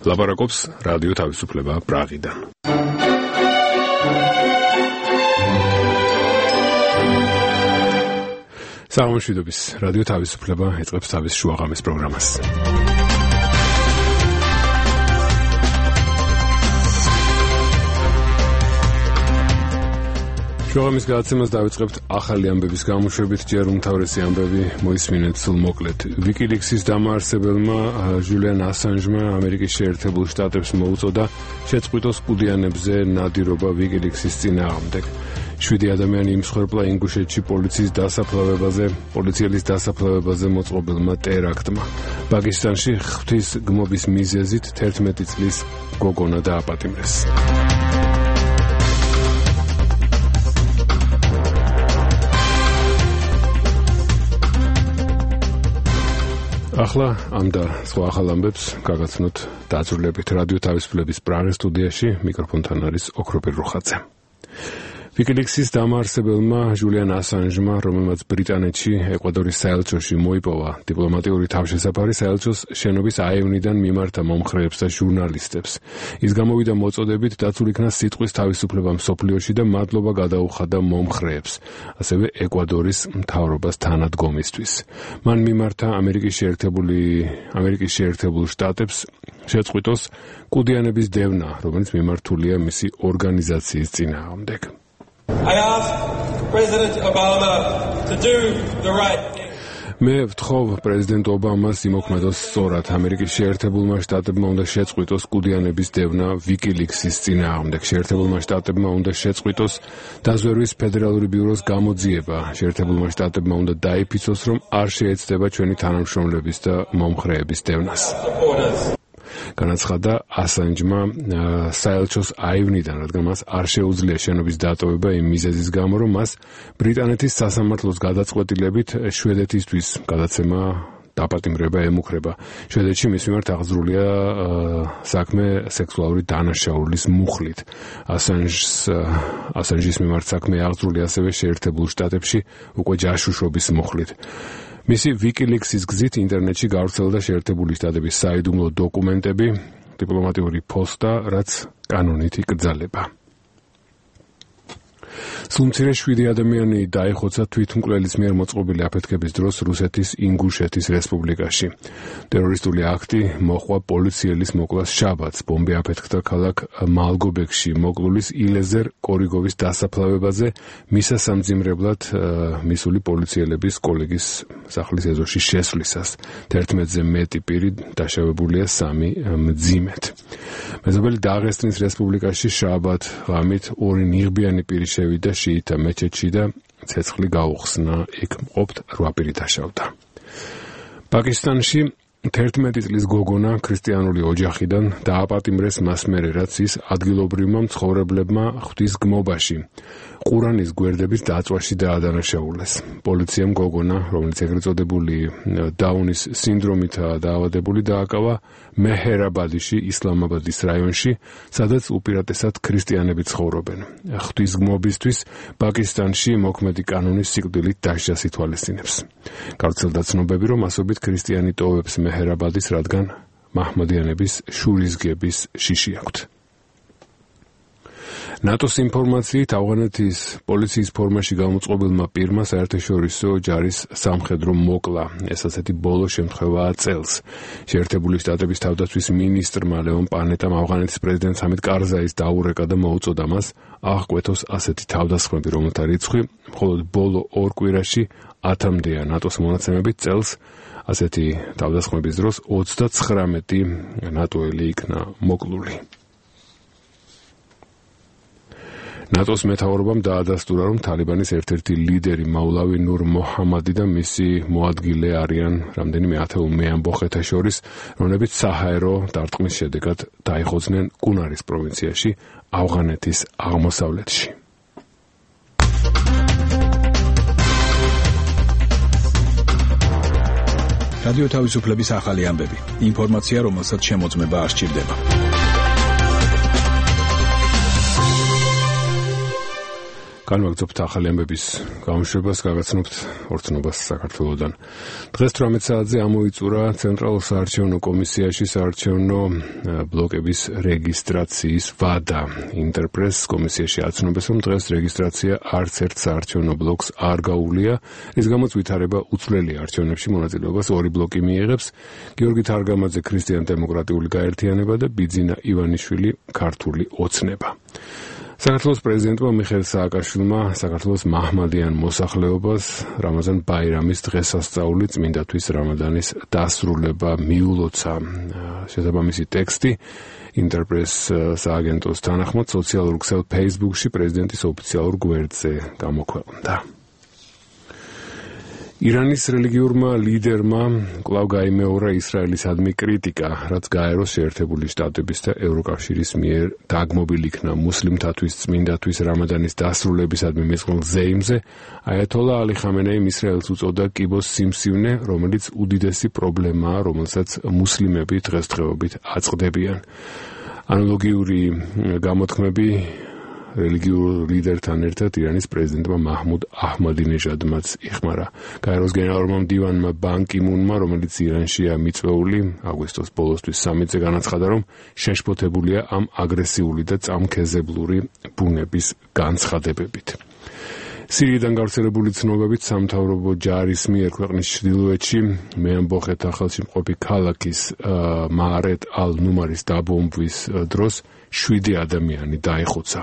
ლაპარაკობს რადიო თავისუფლება პრაღიდან. საღამოშვიდობის რადიო თავისუფლება ეწყებს თავის შუაღამის პროგრამას. შუაღამის გადაცემას დავიწყებთ ახალი ამბების გამოშვებით, ჯერ უმთავრესი ამბები მოისმინეთ სულ მოკლედ. ვიკილիქსის დამაარსებელმა ჟულიან ასანჟმა ამერიკის შეერთებულ შტატებს მოუწოდა შეწყვიტოს კუდიანებზე ნადირობა ვიკილիქსის წინააღმდეგ. 7 ადამიანი იმსხვერპლა ინგუშეთში პოლიციელის დასაფლავებაზე მოწყობილმა ტერაქტმა. პაკისტანში ღვთის გმობის მიზეზით 11 წლის გოგონა დააპატიმრეს. ახლა ამ და სხვა ახალ ამბებს გაგაცნოთ დაწვრილებით რადიო თავისუფლების პრაღის სტუდიაში. მიკროფონთან არის ოქროპირ რუხაძე. ვიკილიქსის დამაარსებელმა ჟულიან ასანჟმა, რომელმაც ბრიტანეთში ეკვადორის საელჩოში მოიპოვა დიპლომატიური თავშესაფარი, საელჩოს შენობის აივნიდან მიმართა მომხრეებს და ჟურნალისტებს. ის გამოვიდა მოწოდებით დაცულ იქნა სიტყვის თავისუფლება მსოფლიოში და მადლობა გადაუხადა მომხრეებს, ასევე ეკვადორის მთავრობას თანადგომისთვის. მან მიმართა ამერიკის შეერთებულ შტატებს შეწყვიტოს კუდიანების დევნა, რომელიც მიმართულია მისი ორგანიზაციის წინააღმდეგ. I ask President Obama to do the right thing. მე ვთხოვ პრეზიდენტ ობამას იმოქმედოს სწორად. ამერიკის შეერთებულმა შტატებმა უნდა შეწყვიტოს კუდიანების დევნა ვიკილიქსის წინააღმდეგ. შეერთებულმა შტატებმა უნდა შეწყვიტოს დაზვერვის ფედერალური ბიუროს გამოძიება. შეერთებულმა შტატებმა უნდა დაიფიცოს, რომ არ შეეცდება ჩვენი თანამშრომლების და მომხრეების დევნას. განაცხადა ასანჯმა საელჩოს აივნიდან, რადგან მას არ შეუძლია შენობის დატოვება იმ მიზეზის გამო, რომ მას ბრიტანეთის სასამართლოს გადაწყვეტილებით შვედეთისთვის გადაცემა დაპატიმრება ემუქრება. შვედეთში მის მიმართ აღძრულია საქმე სექსუალური დანაშაულის მუხლით. ასანჯის მიმართ საქმე აღძრულია ასევე შეერთებულ შტატებში უკვე ჯაშუშობის მუხლით. მისი ვიკილიქსის გზით ინტერნეტში გავრცელდა შეერთებული შტატების საიდუმლო დოკუმენტები, დიპლომატიური პოსტა, რაც კანონით იკრძალება. სულ მცირე 7 ადამიანი დაიხოცა თვითმკვლელის მიერ მოწყობილი აფეთქების დროს რუსეთის ინგუშეთის რესპუბლიკაში. ტერორისტული აქტი მოჰყვა პოლიციელის მოკვლას შაბათს. ბომბი აფეთქდა ქალაქ მალგობეკში მოკლულის ილეზერ კორიგოვის დასაფლავებაზე მისასამძიმრებლად მისული პოლიციელების კოლეგის სახლის ეზოში შესვლისას. 11-ზე მეტი პირი დაშავებულია 3 მძიმედ. მეზობელი დაღესტნის რესპუბლიკაში შაბათ ღამით 2 ნიღბიანი პირი შევიდა შიიტა მეჩეთში და ცეცხლი გაუხსნა. იქ მყოფთ 8 პირი დაშავდა. პაკისტანში 11 წლის გოგონა ქრისტიანული ოჯახიდან დააპატიმრეს მას მერე, რაც ის ადგილობრივმა მცხოვრებლებმა ღვთის გმობაში ყურანის გვერდების დაწვაში დაადანაშაულეს. პოლიციამ გოგონა, რომელიც ეგრეთ წოდებული დაუნის სინდრომითაა დაავადებული, დააკავა მეჰერაბადიში, ისლამაბადის რაიონში, სადაც უპირატესად ქრისტიანები ცხოვრობენ. ღვთის გმობისთვის პაკისტანში მოქმედი კანონის სიკვდილით დასჯას ითვალისწინებს. გავრცელდა ცნობები, რომ ასობით ქრისტიანი ტოვებს მეჰერაბადის, რადგან მაჰმადიანების შურისგების შიში აქვთ. ნატოს ინფორმაციით ავღანეთის პოლიციის ფორმაში გამოწყობილმა პირმა საერთაშორისო ჯარის სამხედრო მოკლა. ეს ასეთი ბოლო შემთხვევაა წელს. შეერთებული შტატების თავდაცვის მინისტრმა ლეონ პანეტამ ავღანეთის პრეზიდენტ ჰამიდ კარზაის დაურეკა და მოუწოდა მას აღკვეთოს ასეთი თავდასხმები, რომელთა რიცხვი მხოლოდ ბოლო 2 კვირაში 10-მდეა. ნატოს მონაცემებით წელს ასეთი თავდასხმების დროს 39 ნატოელი იქნა მოკლული. ნატოს მეთაურობამ დაადასტურა, რომ თალიბანის ერთ-ერთი ლიდერი მაულავი ნურ მოჰამადი და მისი მოადგილე არიან რამდენიმე ათეულ მეამბოხეთა შორის, რომლებიც საჰაერო დარტყმის შედეგად დაიხოძნენ კუნარის პროვინციაში, ავღანეთის აღმოსავლეთში. რადიო თავისუფლების ახალი ამბები. ინფორმაცია, რომელსაც შემოწმება არ სჭირდება. განვაგრძობთ ახალი ამბების გამოშვებას, გაგაცნობთ ორცნობას საქართველოდან. დღეს 18 საათზე ამოიწურა ცენტრალურ საარჩევნო კომისიაში საარჩევნო ბლოკების რეგისტრაციის ვადა. ინტერპრეს კომისიაში აცნობეს, რომ დღეს რეგისტრაცია არც ერთ საარჩევნო ბლოკს არ გაუვლია, რის გამოც ვითარება უცვლელი არჩევნებში მონაწილეობას ორი ბლოკი მიიღებს: გიორგი თარგამაძე ქრისტიან-დემოკრატიული გაერთიანება და ბიძინა ივანიშვილი ქართული ოცნება. საქართველოს პრეზიდენტმა მიხეილ სააკაშვილმა საქართველოს მაჰმადიან მოსახლეობას რამაზან ბაირამის დღესასწაული წმინდათვის რამადანის დასრულება მიულოცა. შესაბამისი ტექსტი ინტერპრეს სააგენტოს თანახმად სოციალურ ქსელ Facebook-ში პრეზიდენტის ოფიციალურ გვერდზე გამოქვეყნდა. ირანის რელიგიურმა ლიდერმა კვლავ გაიმეორა ისრაელისადმი კრიტიკა, რაც გაეროს შეერთებული შტატების და ევროკავშირის მიერ დაგმობილ იქნა მუსლიმთათვის წმინდათვის რამადანის დასრულებისადმი მეწყვილ ზეიმზე. აიათოლა ალი ხამენეიმ ისრაელს უწოდა კიბოს სიმსივნე, რომელიც უდიდესი პრობლემაა, რომელსაც მუსლიმები დღესდღეობით აწყდებიან. ანალოგიური გამოთქმები რელიგიურ ლიდერთან ერთად ირანის პრეზიდენტმა მაჰმუდ აჰმადინეჟადმაც იხმარა. გაეროს გენერალურმა მდივანმა ბან კი მუნმა, რომელიც ირანშია მიწვეული, აგვისტოს ბოლოსთვის სამიტზე განაცხადა, რომ შეშფოთებულია ამ აგრესიული და წამქეზებლური ბუნების განცხადებებით. სირიიდან გავრცელებული ცნობებით სამთავრობო ჯარის მიერ ქვეყნის ჩრდილოეთში მეამბოხეთა ხელში მყოფი ქალაქის მაარეთ ალ-ნუმარის დაბომბვის დროს 7 ადამიანი დაიხოცა.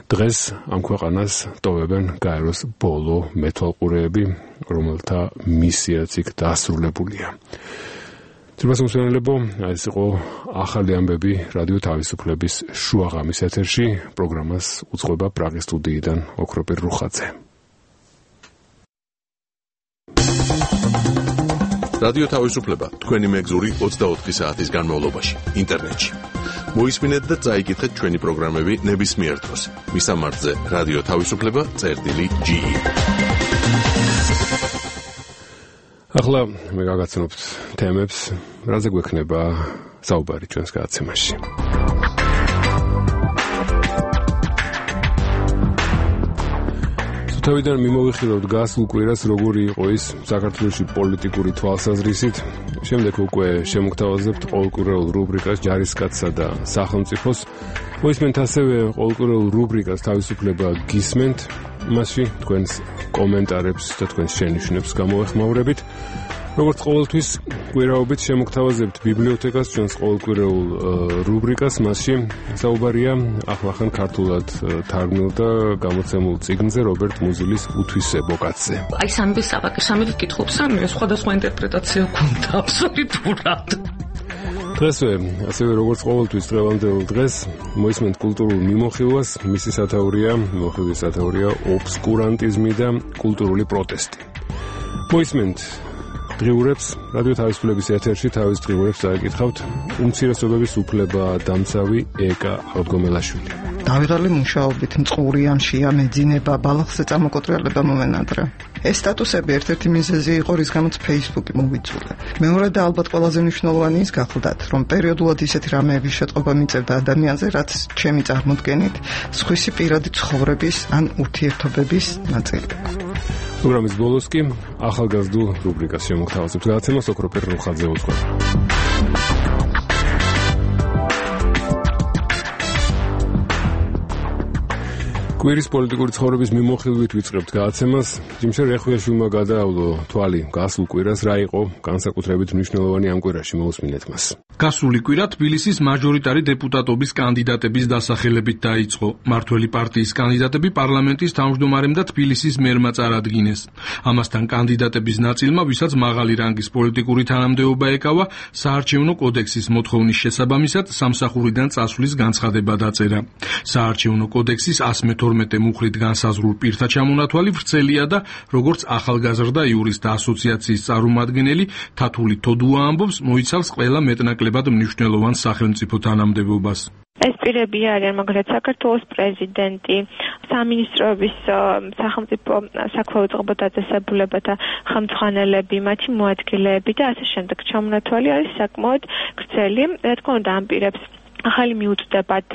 დღეს ამ ქვეყანას ტოვებენ გაეროს ბოლო მეთვალყურეები, რომელთა მისიაც იქ დასრულებულია. ძვირფას მომსვენელებო, ეს იყო ახალი ამბები რადიო თავისუფლების შუაღამის ეთერში. პროგრამას უძღვება პრაღის სტუდიიდან ოქროპირ რუხაძე. რადიო თავისუფლება თქვენი მეგზური 24 საათის განმავლობაში ინტერნეტში. მოისმინეთ და წაიკითხეთ ჩვენი პროგრამები ნებისმიერ დროს. მისამართზე რადიო თავისუფლება.ge. ახლა მე გაგაცნობთ თემებს, რაზე გვექნება საუბარი ჩვენს გადაცემაში. თავიდან მიმოვიხილავთ გასულ კვირას როგორი იყო ის საქართველოში პოლიტიკური თვალსაზრისით. შემდეგ უკვე შემოგთავაზებთ ყოველკვირეულ რუბრიკას ჯარისკაცსა და სახელმწიფოს. მოისმენთ ასევე ყოველკვირეულ რუბრიკას თავისუფლება გისმენთ. მასში თქვენს კომენტარებს და თქვენს შენიშვნებს გამოვეხმაურებით. როგორც ყოველთვის კვირაობით შემოგთავაზებთ ბიბლიოთეკას, ჩვენს ყოველკვირეულ რუბრიკას. მასში საუბარია ახლახან ქართულად თარგმნილ და გამოცემულ წიგნზე რობერტ მუზილის უთვისებო კაცზე. აი სამების საბაკი სამებით კითხულობს, სამივე სხვადასხვა ინტერპრეტაცია გვქონდა აბსოლუტურად. დღესვე, ასევე როგორც ყოველთვის დღევანდელ დღეს მოისმენთ კულტურულ მიმოხილვას, მისი სათაურია, მიმოხილვის სათაურია ობსკურანტიზმი და კულტურული პროტესტი. მოისმენთ დღიურებს, რადიო თავისუფლების ეთერში თავის დღიურებს დაეკითხავთ უმცირესობების უფლება დამცავი ეკა ალგომელაშვილი. დავიღალი მუშაობით, მწყურიანშია, მეძინება, ბალახზე წამოკოტრიალება მომენადრე. ეს სტატუსები ერთ-ერთი მიზეზი იყო, რის გამოც Facebook-ი მოვიწურე. მეორე და ალბათ ყველაზე მნიშვნელოვანი ის გახლდათ, რომ პერიოდულად ისეთი რამეების შეტყობა მიწევდა ადამიანზე, რაც ჩემი წარმოდგენით სხვისი პირადი ცხოვრების ან ურთიერთობების ნაწილია. პროგრამის ბოლოს კი ახალგაზრდულ რუბრიკას შემოგთავაზებთ. გადაცემას ოქროპირ რუხაძე უძღვება. კვირის პოლიტიკური ცხოვრების მიმოხილვით ვიწყებთ გადაცემას. ჯიმშერ რეხვიაშვილმა გადაავლო თვალი გასულ კვირას, რა იყო განსაკუთრებით მნიშვნელოვანი ამ კვირაში, მოусმინეთ მას. გასული კვირა თბილისის მაჟორიტარი დეპუტატობის კანდიდატების დასახელებით დაიწყო. მართველი პარტიის კანდიდატები პარლამენტის თავმჯდომარემ და თბილისის მერმა წარადგინეს. ამასთან კანდიდატების ნაწილმა, ვისაც მაღალი რანგის პოლიტიკური თანამდებობა ეკავა, საარჩევნო კოდექსის მოთხოვნის შესაბამისად სამსახურიდან წასვლის განცხადება დაწერა. საარჩევნო კოდექსის 112 მუხრით განსაზღვრულ პირთა ჩამონათვალი ვრცელია და როგორც ახალგაზრდა იურისტთა ასოციაციის წარმომადგენელი თათული თოდუა ამბობს, მოიცავს ყველა მეტნაკლებად მნიშვნელოვან სახელმწიფო თანამდებობას. ეს პირები არიან მაგალითად საქართველოს პრეზიდენტი, სამინისტროების სახელმწიფო საქმეო წყობა დაწესებულებათა ხელმძღვანელები, მათი მოადგილეები და ასე შემდეგ. ჩამონათვალი არის საკმაოდ გრძელი. რა თქმა უნდა, ამ პირებს ახალი მიუწვდებათ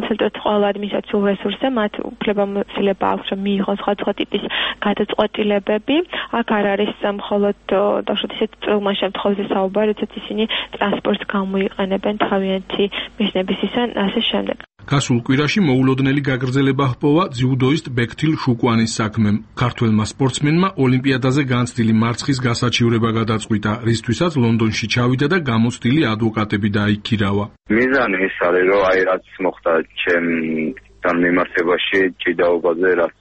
ცენტრალურ ყველა ადმინისტრაციულ რესურსზე მათ უფლებამოსილება აქვს რომ მიიღონ სხვადასხვა ტიპის გადაწყვეტილებები. აქ არ არის მხოლოდ დავუშვათ ისეთ წვრილმა შემთხვევაში საუბარი, როდესაც ისინი ტრანსპორტს გამოიყენებენ თავიანთი მიზნებისგან ასე შემდეგ. გასულ კვირაში მოულოდნელი გაგრძელება ჰპოვა ძიუდოისტ ბექთილ შუკვანის საქმემ. ქართველმა სპორტსმენმა ოლიმპიადაზე განცდილი მარცხის გასაჩივრება გადაწყვიტა, რისთვისაც ლონდონში ჩავიდა და გამოცდილი ადვოკატები დაიქირავა. მიზანი ის არის, რომ რაც მოხდა ჩემთან მიმართებაში ჭიდაობაზე, რაც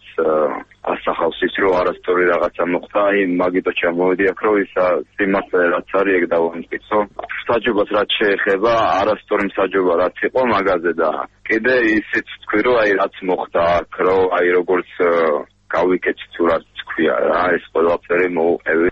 ასახავს ის, რომ არასწორი რაღაცა მოხდა, მაგიტო ჩამოვედი აქ, რომ ის სიმართლე რაც არის, ეგ დავამტკიცო. მსაჯობას რაც შეეხება, არასწორი მსაჯობა რაც იყო მაგაზე და კიდე ისიც თქვი, რომ რაც მოხდა აქ, რომ როგორც გავიკეთე თუ რაც თქვია რა, ეს ყველაფერი მოუყევი.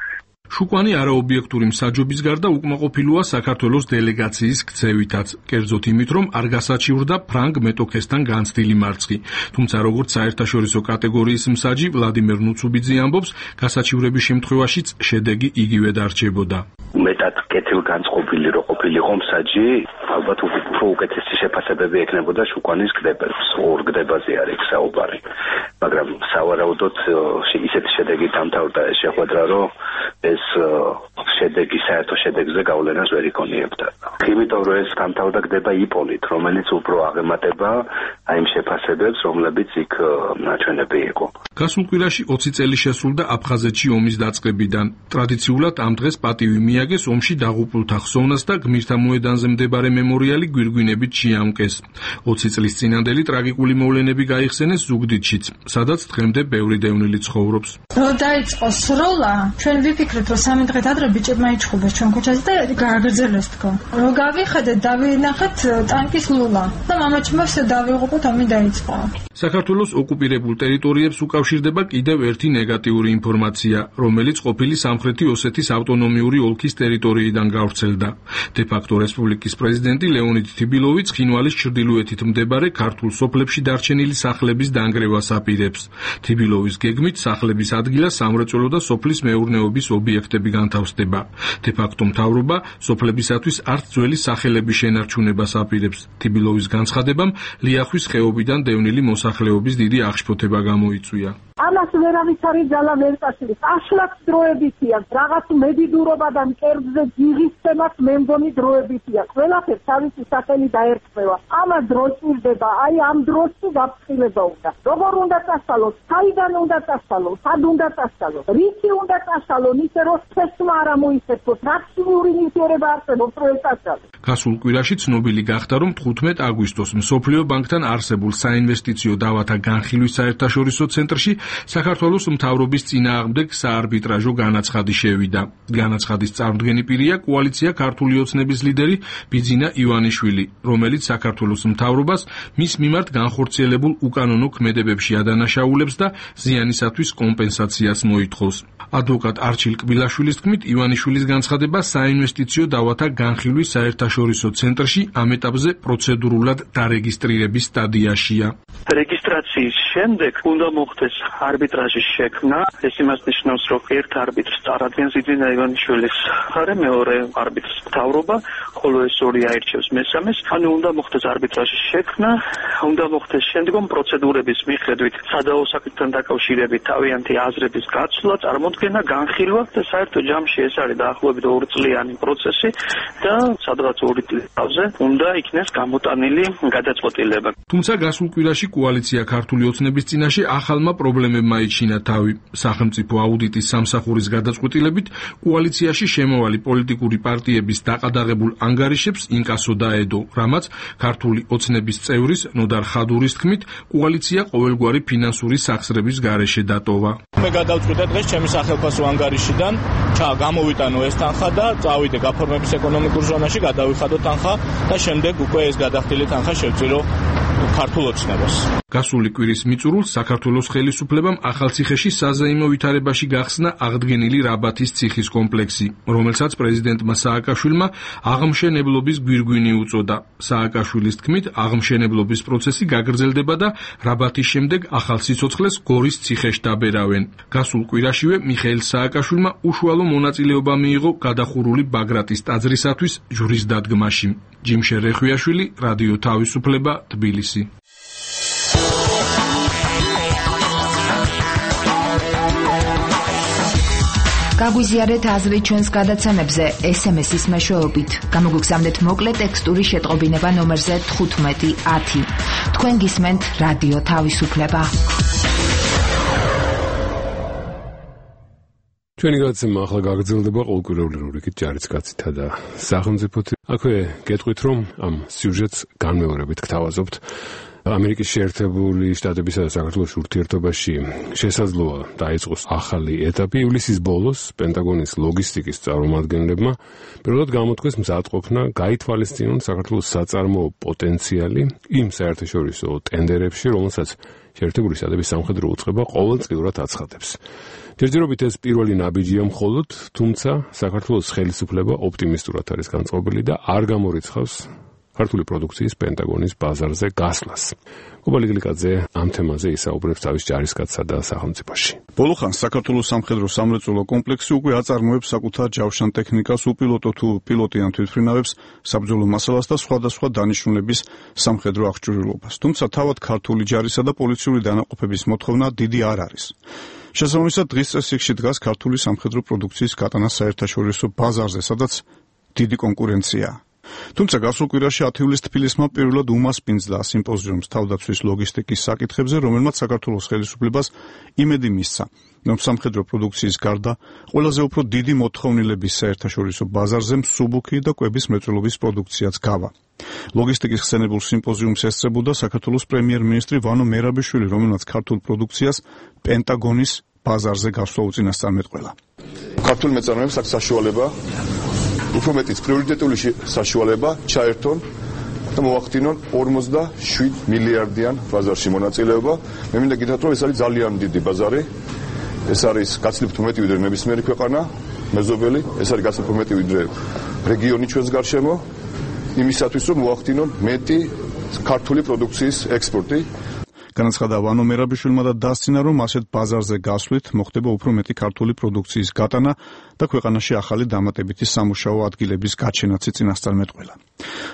შუკვანი არაობიექტური მსაჯობის გარდა უკმაყოფილოა საქართველოს დელეგაციის ქცევითაც, კერძოდ იმით, რომ არ გასაჩივრდა ფრანგ მეტოქესთან განცდილი მარცხი. თუმცა როგორც საერთაშორისო კატეგორიის მსაჯი ვლადიმერ ნუცუბიძე ამბობს, გასაჩივრების შემთხვევაშიც შედეგი იგივე დარჩებოდა. მეტად კეთილგანწყობილი რო ყოფილიყო მსაჯი, ალბათ უფრო უკეთესი შეფასებები ექნებოდა შუკვანის ორ გდებაზე არის საუბარი. მაგრამ სავარაუდოდ ისეთი შედეგი დამთავრდა ეს შეხვედრა, რომ ეს შედეგი საერთო შედეგზე გავლენას ვერ იქონიებდა. იმიტომ რომ ეს დამთავრდა გდება იპოლით, რომელიც უფრო აღემატება იმ შეფასებებს, რომლებიც იქ ნაჩვენები იყო. გასულ კვირაში 20 წელი შესრულდა აფხაზეთში ომის დაწყებიდან. ტრადიციულად ამ დღეს პატივი მიაგეს ომში დაღუპულთა ხსოვნას და გმირთა მოედანზე მდებარე მემორიალი გვირგვინებით შეამკეს. 20 წლის წინანდელი ტრაგიკული მოვლენები გაიხსენეს ზუგდიდშიც, სადაც დღემდე ბევრი დევნილი ცხოვრობს. რო დაიწყო სროლა, ჩვენ ვიფიქრეთ, რომ 3 დღით ადრე ბიჭებმა იჩხუბეს ჩვენ ქუჩაზე და გააგრძელეს თქო. რო გავიხედეთ, დავინახეთ ტანკის ლულა და მამაჩემმა ვსე დავიღუპოთ, ომი დაიწყო. საქართველოს ოკუპირებულ ტერიტორიებს უკავშირდება კიდევ ერთი ნეგატიური ინფორმაცია, რომელიც ყოფილი სამხრეთი ოსეთის ავტონომიური ოლქის ტერიტორიიდან გავრცელდა. დე-ფაქტო რესპუბლიკის პრეზიდენტი ლეონიდ თიბილოვი ცხინვალის ჩრდილოეთით მდებარე ქართულ სოფლებში დარჩენილი სახლების დანგრევას აპირებს. თიბილოვის გეგმით სახლების ადგილას სამრეწველო და სოფლის მეურნეობის ობიექტები განთავსდება. დე-ფაქტო მთავრობა სოფლებისათვის არც ძველი სახელების შენარჩუნებას აპირებს. თიბილოვის განცხადებამ ლიახვის ხეობიდან დევნილი მოსახლეობის დიდი აღშფოთება გამოიწვია. ამას ვერავის არის ძალა ვერ წასulis. აშლაც დროებითია, რაღაც მედიდურობა და მკერდზე ძიღისცემაც მე მგონი დროებითია. ყველაფერს თავისი სახელი დაერქმევა. ამას დრო ჭირდება, აი ამ დროს თუ გაფრთხილება უნდა. როგორ უნდა წასალოს, საიდან უნდა წასალოს, სად უნდა წასალოს, რითი უნდა წასალოს, ისე რომ თესმა არ ამოისწროს, პრაქტიკული ნივთიერება არსებობს, რომ წასალოს. გასულ კვირაში ცნობილი გახდა, რომ 15 აგვისტოს მსოფლიო ბანკთან არსებულ საინვესტიციო დავათა განხილვის საერთაშორისო ცენტრში საქართველოს მთავრობის წინააღმდეგ საარბიტრაჟო განაცხადი შევიდა. განაცხადის წარმდგენი პირია კოალიცია ქართული ოცნების ლიდერი ბიძინა ივანიშვილი, რომელიც საქართველოს მთავრობას მის მიმართ განხორციელებულ უკანონო ქმედებებში ადანაშაულებს და ზიანისათვის კომპენსაციას მოითხოვს. ადვოკატ არჩილ კბილაშვილის თქმით, ივანიშვილის განცხადება საინვესტიციო დავათა განხილვის საერთაშორისო ცენტრში ამ ეტაპზე პროცედურულად დარეგისტრირების სტადიაშია. რეგისტრაციის შემდეგ უნდა მოხდეს არბიტრაჟის შექმნა. ეს იმას ნიშნავს, რომ ერთ არბიტრს წარადგენს ბიძინა ივანიშვილის მხარე, მეორე არბიტრს მთავრობა, ხოლო ეს ორი აირჩევს მესამეს. ანუ უნდა მოხდეს არბიტრაჟის შექმნა, უნდა მოხდეს შემდგომ პროცედურების მიხედვით სადაო საკითხთან დაკავშირებით თავიანთი აზრების გაცვლა, წარმოდგენა, განხილვა და საერთო ჯამში ეს არის დაახლოებით 2 წლიანი პროცესი და სადღაც 2 წელზე უნდა იქნეს გამოტანილი გადაწყვეტილება. თუმცა გასულ კვირაში კოალიცია ქართული ოცნების წინაშე ახალმა პრობლემებმა იჩინა თავი. სახელმწიფო აუდიტის სამსახურის გადაწყვეტილებით კოალიციაში შემოვალი პოლიტიკური პარტიების დაყადაღებულ ანგარიშებს ინკასო დაედო, რამაც ქართული ოცნების წევრის ნოდარ ხადურის თქმით, კოალიცია ყოველგვარი ფინანსური სახსრების გარეშე დატოვა. მე გადავწყვიტე დღეს ჩემი სახელმწიფო ანგარიშიდან გამოვიტანო ეს თანხა და წავიდე გაფორმების ეკონომიკურ ზონაში, გადავიხადო თანხა და შემდეგ უკვე ეს გადახდილი თანხა შევწირო ქართულ ოცნებას. გასული კვირის მიწურულს საქართველოს ხელისუფლებამ ახალციხეში საზეიმო ვითარებაში გახსნა აღდგენილი რაბათის ციხის კომპლექსი, რომელსაც პრეზიდენტმა სააკაშვილმა აღმშენებლობის გვირგვინი უწოდა. სააკაშვილის თქმით, აღმშენებლობის პროცესი გაგრძელდება და რაბათის შემდეგ ახალ სიცოცხლეს გორის ციხეში დაბერავენ. გასულ კვირაშივე მიხეილ სააკაშვილმა უშუალო მონაწილეობა მიიღო გადახურული ბაგრატის ტაძრისათვის ჯვრის დადგმაში. ჯიმშე რეხვიაშვილი, რადიო თავისუფლება, თბილისი. გაგვიზიარეთ აზრი ჩვენს გადაცემებზე SMS-ის მეშვეობით. გამოგვიგზავნეთ მოკლე ტექსტური შეტყობინება ნომერზე 1510. თქვენ გისმენთ რადიო თავისუფლება. ჩვენი გადაცემა ახლა გაგრძელდება ყოველკვირეული რუბრიკით ჯარისკაცითა და სახელმწიფოთი. აქვე გეტყვით, რომ ამ სიუჟეტს განმეორებით გთავაზობთ. ამერიკის შეერთებული შტატებისა და საქართველოს ურთიერთობაში შესაძლოა დაიწყოს ახალი ეტაპი. ივლისის ბოლოს პენტაგონის ლოგისტიკის წარმომადგენლებმა პირველად გამოთქვეს მზადყოფნა გაითვალისწინონ საქართველოს საწარმოო პოტენციალი იმ საერთაშორისო ტენდერებში, რომელსაც შეერთებული შტატების სამხედრო უწყება ყოველწლიურად აცხადებს. ჯერჯერობით ეს პირველი ნაბიჯია მხოლოდ, თუმცა საქართველოს ხელისუფლება ოპტიმისტურად არის განწყობილი და არ გამორიცხავს ქართული პროდუქციის პენტაგონის ბაზარზე გასვლას. კუბა ლიგლიკაძე ამ თემაზე ისაუბრებს თავის ჯარისკაცსა და სახელმწიფოში. ბოლო ხანს საქართველოს სამხედრო სამრეწველო კომპლექსი უკვე აწარმოებს საკუთარ ჯავშან ტექნიკას, უპილოტო თუ პილოტიან თვითმფრინავებს, საბრძოლო მასალას და სხვადასხვა დანიშნულების სამხედრო აღჭურვილობას. თუმცა თავად ქართული ჯარისა და პოლიციური დანაყოფების მოთხოვნა დიდი არ არის. შესაბამისად, დღის წესრიგში დგას ქართული სამხედრო პროდუქციის გატანა საერთაშორისო ბაზარზე, სადაც დიდი კონკურენციაა. თუმცა გასულ კვირაში 10 ივლისს თბილისმა პირველად უმასპინძლა სიმპოზიუმს თავდაცვის ლოგისტიკის საკითხებზე, რომელმაც საქართველოს ხელისუფლებას იმედი მისცა, რომ სამხედრო პროდუქციის გარდა ყველაზე უფრო დიდი მოთხოვნილების საერთაშორისო ბაზარზე მსუბუქი და კვების მრეწველობის პროდუქციაც გავა. ლოგისტიკის ხსენებულ სიმპოზიუმს ესწრებოდა საქართველოს პრემიერ-მინისტრი ვანო მერაბიშვილი, რომელმაც ქართულ პროდუქციას პენტაგონის ბაზარზე გასვლა უწინასწარმეტყველა. ქართულ მეწარმეებს აქვს საშუალება უფრო მეტიც პრიორიტეტული საშუალება ჩაერთონ და მოახდინონ 47 მილიარდიან ბაზარში მონაწილეობა. მე მინდა გითხრათ, რომ ეს არის ძალიან დიდი ბაზარი. ეს არის გაცილებით მეტი ვიდრე ნებისმიერი ქვეყანა, მეზობელი, ეს არის გაცილებით მეტი ვიდრე რეგიონი ჩვენს გარშემო, იმისათვის რომ მოახდინონ მეტი ქართული პროდუქციის ექსპორტი. განაცხადა ვანო მერაბიშვილმა და დასცინა, რომ ასეთ ბაზარზე გასვლით მოხდება უფრო მეტი ქართული პროდუქციის გატანა და ქვეყანაში ახალი დამატებითი სამუშაო ადგილების გაჩენაც წინასწარმეტყველა.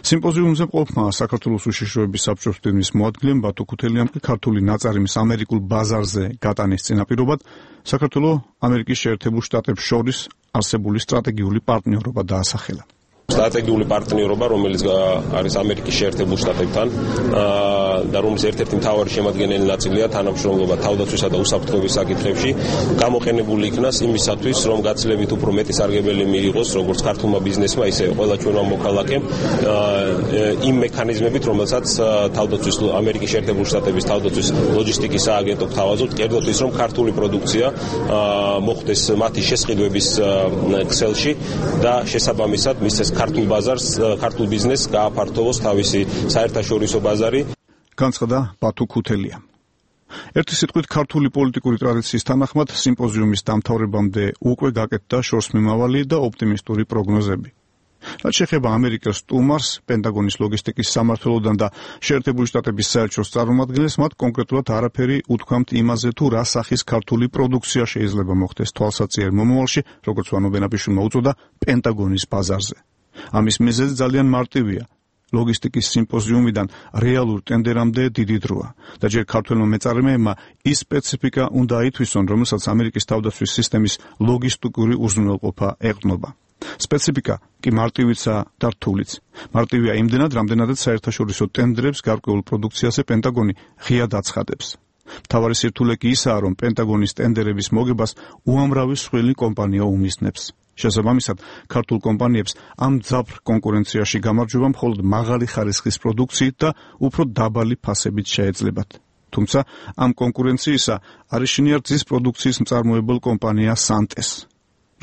სიმპოზიუმზე მყოფმა საქართველოს უშიშროების საბჭოს მდივნის მოადგილემ ბატო ქუთელიამ ქართული ნაწარმის ამერიკულ ბაზარზე გატანის წინაპირობად საქართველოს ამერიკის შეერთებულ შტატებს შორის არსებული სტრატეგიული პარტნიორობა დაასახელა. სტრატეგიული პარტნიორობა, რომელიც არის ამერიკის შეერთებულ შტატებთან და რომლის ერთ-ერთი მთავარი შემადგენელი ნაწილია თანამშრომლობა თავდაცვისა და უსაფრთხოების საკითხებში, გამოყენებული იქნას იმისათვის, რომ გაცილებით უფრო მეტი სარგებელი მიიღოს როგორც ქართულმა ბიზნესმა, ისე ყველა ჩვენმა მოქალაქემ იმ მექანიზმებით, რომელსაც თავდაცვის ამერიკის შეერთებულ შტატების თავდაცვის ლოჯისტიკის სააგენტო გთავაზობთ, კერძოდ ის, რომ ქართული პროდუქცია მოხდეს მათი შესყიდვების ქსელში და შესაბამისად მისცეს ქართულ ბაზარს, ქართულ ბიზნესს გააფართოვოს თავისი საერთაშორისო ბაზარი. განცხადა ბათო ქუთელია. ერთი სიტყვით ქართული პოლიტიკური ტრადიციის თანახმად სიმპოზიუმის დამთავრებამდე უკვე გაკეთდა შორსმიმავალი და ოპტიმისტური პროგნოზები. რაც შეეხება ამერიკას სტუმარს, პენტაგონის ლოგისტიკის სამმართველოდან და შეერთებული შტატების საელჩოს წარმომადგენლებს, მათ კონკრეტულად არაფერი უთქვამთ იმაზე, თუ რა სახის ქართული პროდუქცია შეიძლება მოხდეს თვალსაჩინო მომავალში, როგორც ვანო მერაბიშვილმა უწოდა, პენტაგონის ბაზარზე. ამის მიზეზი ძალიან მარტივია. ლოგისტიკის სიმპოზიუმიდან რეალურ ტენდერამდე დიდი დროა და ჯერ ქართველმა მეწარმეებმა ის სპეციფიკა უნდა ითვისონ, რომელსაც ამერიკის თავდაცვის სისტემის ლოგისტიკური უზრუნველყოფა ეყრდნობა. სპეციფიკა კი მარტივიცა და რთულიც. მარტივია იმდენად, რამდენადაც საერთაშორისო ტენდერებს გარკვეულ პროდუქციაზე პენტაგონი ღიად აცხადებს. მთავარი სირთულე კი ისაა, რომ პენტაგონის ტენდერების მოგებას უამრავი სხვილი კომპანია უმისნებს. შესაბამისად, ქართულ კომპანიებს ამ ძაფრ კონკურენციაში გამარჯვება მხოლოდ მაღალი ხარისხის პროდუქციით და უფრო დაბალი ფასებით შეეძლებათ. თუმცა ამ კონკურენციისა არის შინიარწის პროდუქციის მწარმოებელ კომპანია სანტეს.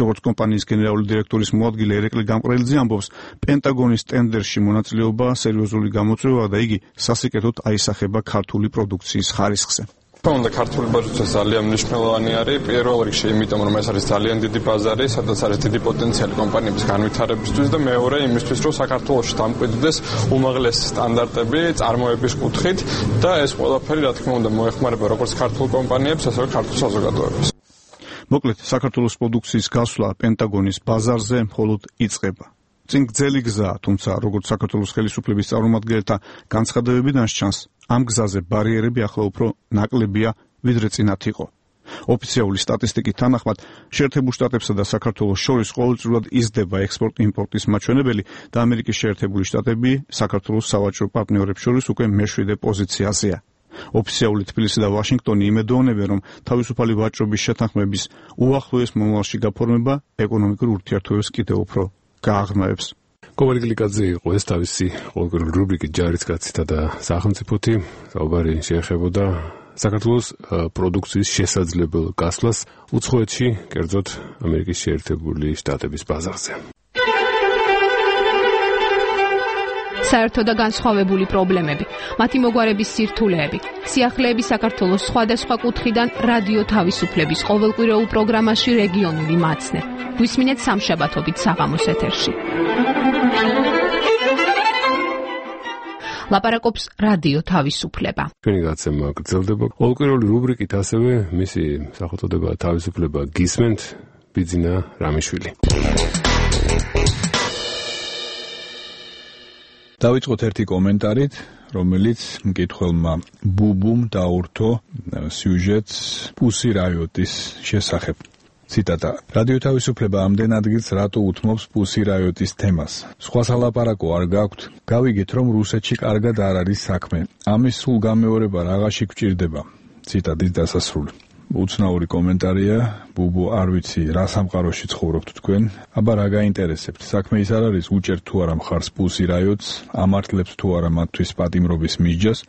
როგორც კომპანიის გენერალური დირექტორის მოადგილე ერეკლე გამყრელიძე ამბობს, პენტაგონის ტენდერში მონაწილეობა სერიოზული გამოწვევაა და იგი სასიკეთოდ აისახება ქართული პროდუქციის ხარისხზე. From the ქართული ბაზარზე ძალიან მნიშვნელოვანი არის პირველ რიგში, იმიტომ რომ ეს არის ძალიან დიდი ბაზარი, სადაც არის დიდი პოტენციალი კომპანიების განვითარებისთვის და მეორე იმისთვის, რომ საქართველოში დამკვიდრდეს უმაღლესი სტანდარტები წარმოების კუთხით და ეს ყველაფერი, რა თქმა უნდა, მოეხმარება როგორც ქართულ კომპანიებს, ასევე ქართულ საზოგადოებას. მოკლედ, საქართველოს პროდუქციის გასვლა პენტაგონის ბაზარზე მხოლოდ იწყება. წინ გრძელი გზაა, თუმცა როგორც საქართველოს ხელისუფლების წარმომადგენელთა განცხადებებიდან ჩანს, ამ გზაზე ბარიერები ახლა უფრო ნაკლებია, ვიდრე წინათ იყო. ოფიციალური სტატისტიკის თანახმად, შეერთებულ შტატებსა და საქართველოს შორის ყოველწლიურად იზრდება ექსპორტ-იმპორტის მაჩვენებელი და ამერიკის შეერთებული შტატები საქართველოს სავაჭრო პარტნიორებს შორის უკვე მეშვიდე პოზიციაზეა. ოფიციალური თბილისი და ვაშინგტონი იმედოვნებენ, რომ თავისუფალი ვაჭრობის შეთანხმების უახლოეს მომავალში გაფორმება ეკონომიკურ ურთიერთობებს კიდევ უფრო გააღრმავებს. კომარი გლიკაძე იყო ეს თავისი ყოველკვირეული რუბრიკით ჯარისკაცთა და სახელმწიფოთი. საუბარი შეეხებოდა საქართველოს პროდუქციის შესაძლებელ გასვლას უცხოეთში, კერძოდ ამერიკის შეერთებული შტატების ბაზარზე. საერთო და განსხვავებული პრობლემები, მათი მოგვარების სირთულეები, სიახლეები საქართველოს სხვადასხვა კუთხიდან რადიო თავისუფლების ყოველკვირეულ პროგრამაში რეგიონული მაცნე. გვისმინეთ სამშაბათობით საღამოს ეთერში. ლაპარაკობს რადიო თავისუფლება. ჩვენი გაცემა გრძელდება. ყოველკვირეული რუბრიკით ასევე მისი სახელწოდება თავისუფლება გისმენთ, ბიძინა რამიშვილი. დავიწყოთ ერთი კომენტარით, რომელიც მკითხველმა ბუბუმ დაურთო სიუჟეტს პუსი რაიოტის შესახებ. ციტატა: რადიო თავისუფლება ამდენ ადგილს რატო უთმობს პუსი რაიოტის თემას? სხვა სალაპარაკო არ გაქვთ? გავიგეთ, რომ რუსეთში კარგად არ არის საქმე. ამის სულ გამეორება რაღაცში გვჭირდება. ციტატის დასასრული. უცნაური კომენტარია, ბუბუ, არ ვიცი, რა სამყაროში ცხოვრობთ თქვენ, აბა რა გაინტერესებთ? საქმე ის არ არის, უჭერთ თუ არა მხარს პუსი რაიოტს, ამართლებთ თუ არა მათთვის პატიმრობის მისჯას.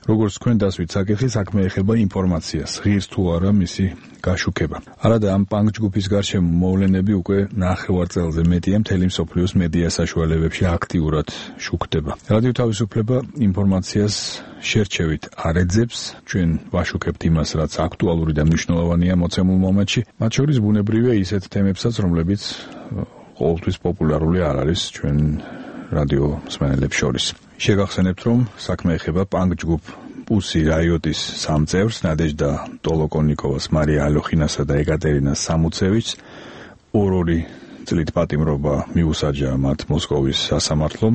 როგორც თქვენ დასვით საკითხი, საქმე ეხება ინფორმაციას, ღირს თუ არა მისი გაშუქება. არადა ამ პანკ ჯგუფის გარშემო მოვლენები უკვე ნახევარ წელზე მეტია მთელი მსოფლიოს მედია საშუალებებში აქტიურად შუქდება. რადიო თავისუფლება ინფორმაციას შერჩევით არ ეძებს, ჩვენ ვაშუქებთ იმას, რაც აქტუალური და მნიშვნელოვანია მოცემულ მომენტში, მათ შორის ბუნებრივია ისეთ თემებსაც, რომლებიც ყოველთვის პოპულარული არ არის ჩვენ რადიო მსმენელებს შორის. შეგახსენებთ, რომ საქმე ეხება პანკ ჯგუფ პუსი რაიოტის სამ წევრს, ნადეჟდა ტოლოკონიკოვას, მარია ალოხინასა და ეკატერინა სამუცევიჩს. ორ-ორი წლით პატიმრობა მიუსაჯა მათ მოსკოვის სასამართლომ,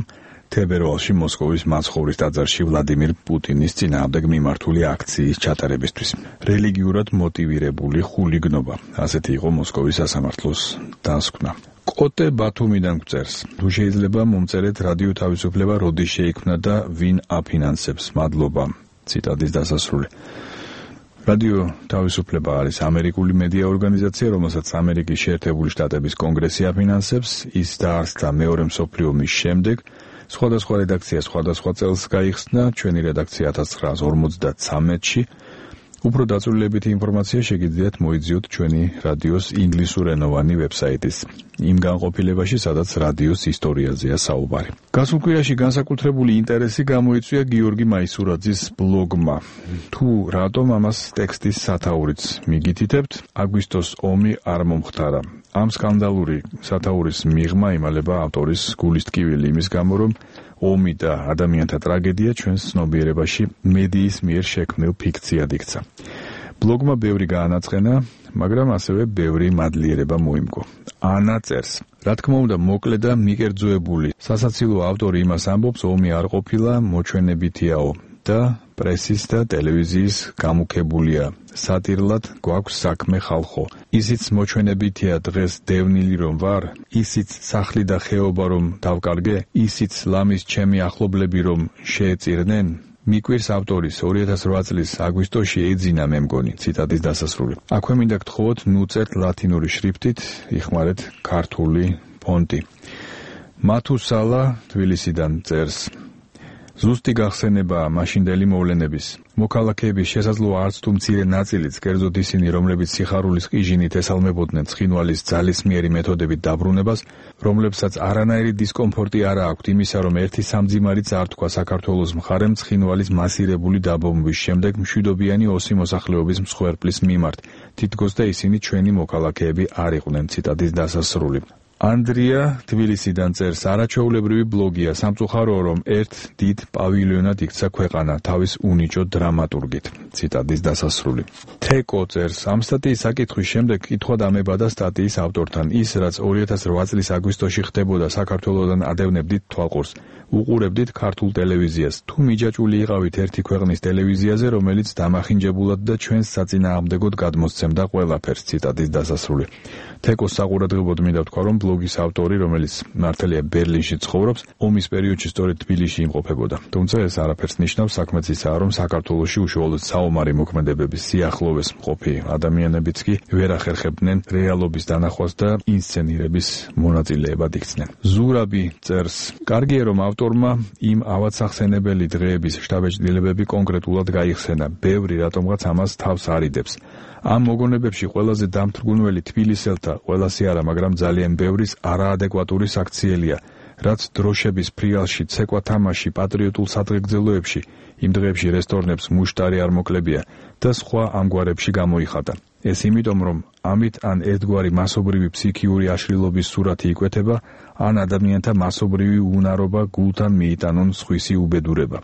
თებერვალში მოსკოვის მაცხოვრის ტაძარში ვლადიმირ პუტინის წინააღმდეგ მიმართული აქციის ჩატარებისთვის. რელიგიურად მოტივირებული ხულიგნობა, ასეთი იყო მოსკოვის სასამართლოს დასკვნა. კოტე ბათუმიდან გვწერს: თუ შეიძლება მომწერეთ რადიო თავისუფლება როდის შეიქმნა და ვინ აფინანსებს? მადლობა. ციტატის დასასრული. რადიო თავისუფლება არის ამერიკული მედია ორგანიზაცია, რომელსაც ამერიკის შეერთებული შტატების კონგრესი აფინანსებს. ის დაარსდა მეორე მსოფლიო ომის შემდეგ. სხვადასხვა რედაქცია სხვადასხვა წელს გაიხსნა, ჩვენი რედაქცია 1953-ში. უფრო დაწვრილებითი ინფორმაცია შეგიძლიათ მოიძიოთ ჩვენი რადიოს ინგლისურენოვანი ვებსაიტის იმ განყოფილებაში, სადაც რადიოს ისტორიაზეა საუბარი. გასულ კვირაში განსაკუთრებული ინტერესი გამოიწვია გიორგი მაისურაძის ბლოგმა. თუ რატომ ამას ტექსტის სათაურიც მიგითითებთ, აგვისტოს ომი არ მომხდარა. ამ სკანდალური სათაურის მიღმა იმალება ავტორის გულისტკივილი იმის გამო, რომ ომი და ადამიანთა ტრაგედია ჩვენს ცნობიერებაში მედიის მიერ შექმნილ ფიქციად იქცა. ბლოგმა ბევრი გაანაცხენა, მაგრამ ასევე ბევრი მადლიერება მოიმგო. ანა წერს: რა თქმა უნდა, მოკლე და მიკერძოებული სასაცილო ავტორი იმას ამბობს, ომი არ ყოფილა, მოჩვენებითიაო და პრესის და ტელევიზიის გამუქებულია. სატირლად გვაქვს საქმე ხალხო. ისიც მოჩვენებითია დღეს დევნილი რომ ვარ, ისიც სახლი და ხეობა რომ დავკარგე, ისიც ლამის ჩემი ახლობლები რომ შეეწირნენ. მიკვირს ავტორის 2008 წლის აგვისტოში ეძინა მე მგონი. ციტატის დასასრული. აქვე მინდა გთხოვოთ, ნუწერთ ლათინური შრიფტით, იხმარეთ ქართული ფონტი. მათუსალა თბილისიდან წერს: ზუსტი გახსენებაა მაშინდელი მოვლენების. მოქალაქეების შესაძლოა არც თუ მცირე ნაწილიც, კერძოდ ისინი, რომლებიც სიხარულის ყიჟინით ესალმებოდნენ ცხინვალის ძალისმიერი მეთოდებით დაბრუნებას, რომლებსაც არანაირი დისკომფორტი არ აქვთ იმისა, რომ ერთი სამძიმარი წართქვა საქართველოს მხარემ ცხინვალის მასირებული დაბომბვის შემდეგ მშვიდობიანი ოსი მოსახლეობის მსხვერპლის მიმართ, თითქოს და ისინი ჩვენი მოქალაქეები არ იყვნენ. ციტატის დასასრული. ანდრია თბილისიდან წერს, არაჩვეულებრივი ბლოგია, სამწუხაროა, რომ ერთ დიდ პავილიონად იქცა ქვეყანა თავის უნიჭო დრამატურგით. ციტატის დასასრული. თეკო წერს, ამ სტატიის საკითხვის შემდეგ კითხვა დამებადა სტატიის ავტორთან. ის, რაც 2008 წლის აგვისტოში ხდებოდა საქართველოდან ადევნებდით თვალყურს, უყურებდით ქართულ ტელევიზიას. თუ მიჯაჭვული იყავით ერთი ქვეყნის ტელევიზიაზე, რომელიც დამახინჯებულად და ჩვენს საწინააღმდეგოდ გადმოსცემდა ყველაფერს. ციტატის დასასრული. თეკოს საყურადღებოდ მინდა ვთქვა, რომ ბლოგის ავტორი, რომელიც მართალია ბერლინში ცხოვრობს, ომის პერიოდში სწორედ თბილისში იმყოფებოდა. თუმცა ეს არაფერს ნიშნავს, საქმეც ისაა, რომ საქართველოში უშუალოდ საომარი მოქმედებების სიახლოვეს მყოფი ადამიანებიც კი ვერ ახერხებდნენ რეალობის დანახვას და ინსცენირების მონაწილეებად იქცნენ. ზურაბი წერს, კარგია, რომ ავტორმა იმ ავადსახსენებელი დღეების შტაბ-ჭრილებები კონკრეტულად გაიხსენა. ბევრი რატომღაც ამას თავს არიდებს. ამ მოგონებებში ყველაზე დამთრგუნველი თბილისელთა, ყველასი არა, მაგრამ ძალიან ბევრის არაადეკვატური საქციელია, რაც დროშების ფრიალში, ცეკვა თამაში, პატრიოტულ სადღეგრძელოებში, იმ დღეებში რესტორნებს მუშტარი არ მოკლებია და სხვა ამგვარებში გამოიხატა. ეს იმიტომ, რომ ამით ან ერთგვარი მასობრივი ფსიქიური აშლილობის სურათი იკვეთება, ან ადამიანთა მასობრივი უნარობა გულთან მიიტანონ სხვისი უბედურება.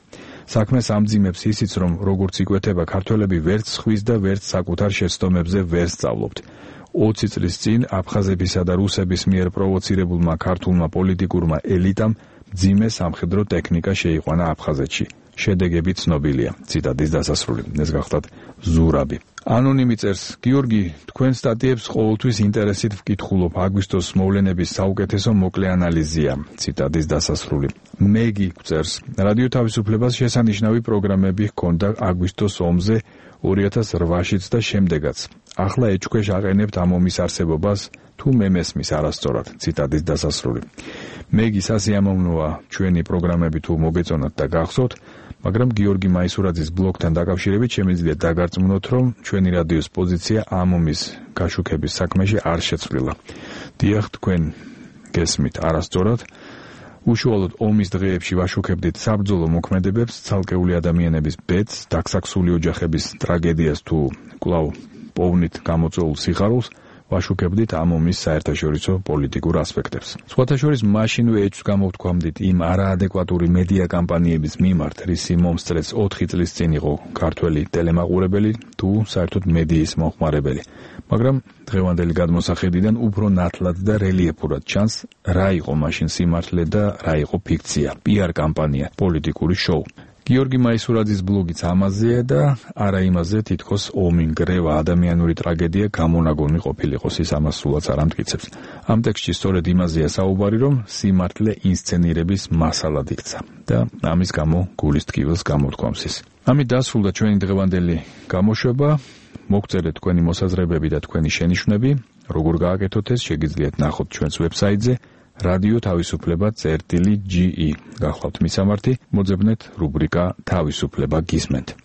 საქმეს ამძიმებს ისიც, რომ როგორც იკვეთება, ქართველები ვერც ხვის და ვერც საკუთარ შეცდომებზე ვერ სწავლობთ. 20 წლის წინ აფხაზებისა და რუსების მიერ პროვოცირებულმა ქართულმა პოლიტიკურმა ელიტამ მძიმე სამხედრო ტექნიკა შეიყვანა აფხაზეთში. შედეგები ცნობილია. ციტატის დასასრული. ეს გახლავთ ზურაბი. ანონიმი წერს, გიორგი, თქვენ სტატიებს ყოველთვის ინტერესით ვკითხულობ. აგვისტოს მოვლენების საუკეთესო მოკლე ანალიზია. ციტატის დასასრული. მეგი წერს, რადიო თავისუფლებას შესანიშნავი პროგრამები ჰქონდა აგვისტოს ომზე 2008-შიც და შემდეგაც. ახლა ეჭქვეშ აყენებთ ამ ომის არსებობას, თუ მე მესმის არასწორად. ციტატის დასასრული. მეგი სასიამოვნოა ჩვენი პროგრამები თუ მოგეწონათ და გახსოვთ, მაგრამ გიორგი მაისურაძის ბლოგთან დაკავშირებით შემიძლია დაგარწმუნოთ, რომ ჩვენი რადიოს პოზიცია ამ ომის გაშუქების საქმეში არ შეცვლილა. დიახ, თქვენ გესმით არასწორად. უშუალოდ ომის დღეებში ვაშუქებდით საბრძოლო მოქმედებებს, ცალკეული ადამიანების ბედს, დაქსაქსული ოჯახების ტრაგედიას თუ კვლავ პოვნით გამოწვეულ სიხარულს, ვაშუქებდით ამ ომის საერთაშორისო პოლიტიკურ ასპექტებს. სხვათა შორის მაშინვე ეჭვს გამოვთქვამდით იმ არაადეკვატური მედია კამპანიების მიმართ, რისი მომსწრეც 4 წლის წინ იყო ქართველი ტელემაყურებელი თუ საერთოდ მედიის მომხმარებელი. მაგრამ დღევანდელი გადმოსახედიდან უფრო ნათლად და რელიეფურად ჩანს, რა იყო მაშინ სიმართლე და რა იყო ფიქცია, PR კამპანია, პოლიტიკური შოუ. გიორგი მაისურაძის ბლოგიც ამაზეა და არა იმაზე, თითქოს ომი, გრევა, ადამიანური ტრაგედია გამონაგონი ყოფილიყოს, ის ამას სულაც არ ამტკიცებს. ამ ტექსტში სწორედ იმაზეა საუბარი, რომ სიმართლე ინსცენირების მასალად იქცა და ამის გამო გულის ტკივილს გამოთქვამს ის. ამით დასრულდა ჩვენი დღევანდელი გამოშვება. მოგწერეთ თქვენი მოსაზრებები და თქვენი შენიშვნები. როგორ გააკეთოთ ეს, შეგიძლიათ ნახოთ ჩვენს ვებსაიტზე რადიო თავისუფლება წერტილი.ge. გახლავთ მისამართი, მოძებნეთ რუბრიკა თავისუფლება გისმენთ.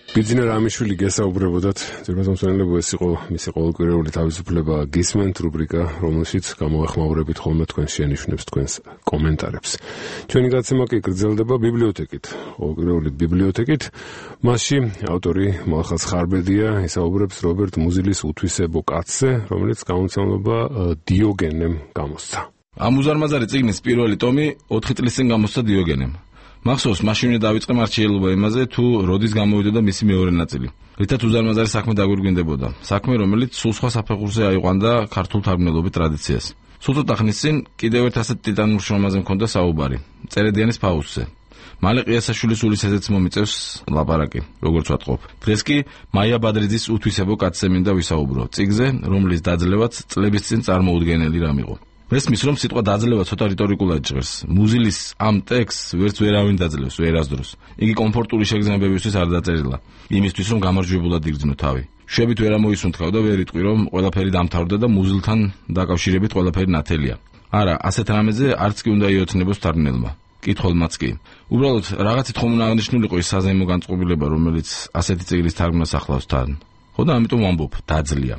ბიძინა რამიშვილი გესაუბრებოდათ, ძირფასმომსმენელებო, ეს იყო მისი ყოველკვირეული თავისუფლება გისმენთ რუბრიკა, რომელშიც გამოეხმაურებით ხოლმე თქვენს შენიშვნებს, თქვენს კომენტარებს. ჩვენი გაცემა კი გრძელდება ბიბლიოთეკით, ყოველკვირეული ბიბლიოთეკით. მასში ავტორი მალხაზ ხარბედია ისაუბრებს რობერტ მუზილის უთვისებო კაცზე, რომელიც გამომცემლობა დიოგენემ გამოსცა. ამ უზარმაზარი წიგნის პირველი ტომი 4 წლის წინ გამოსცა დიოგენემ. მახსოვს, მაშინვე დავიწყე მარჩიელობა იმაზე, თუ როდის გამოვიდოდა მისი მეორე ნაწილი. რითაც უზარმაზარი საქმე დაგვირგვინდებოდა. საქმე, რომელიც სულ სხვა საფეხურზე აიყვანდა ქართულ თარგმნელობით ტრადიციას. სულ ცოტა ხნის წინ კიდევ ერთ ასეთ ტიტანურ შრომაზე მქონდა საუბარი. წერედიანის ფაუსტზე. მალე ყიასაშვილის უլისეზეც მომიწევს ლაპარაკი, როგორც ვატყობ. დღეს კი მაია ბადრიძის უთვისებო კაცზე მინდა ვისაუბრო. წიგნზე, რომლის დაძლევაც წლების წინ წარმოუდგენელი რამ იყო. მესმის რომ სიტყვა დაძლევა ცოტა რიტორიკულად ჟღერს. მუზილის ამ ტექსტს ვერც ვერავინ დაძლევს ვერასდროს. იგი კომფორტული შეგრძნებებისთვის არ დაწერილა. იმისთვის რომ გამარჯვებულად იგრძნო თავი. შვებით ვერ ამოისუნთქავ და ვერ იტყვი რომ ყველაფერი დამთავრდა და მუზილთან დაკავშირებით ყველაფერი ნათელია. არა, ასეთ რამეზე არც კი უნდა იოცნებოს თარგმნელმა. კითხველმაც კი. უბრალოდ რაღაცით ხომ უნდა აღნიშნულიყო ის საზეიმო განწყობილება, რომელიც ასეთი წიგნის თარგმნას ახლავს თან. ხო და ამიტომ ვამბობ, დაძლია.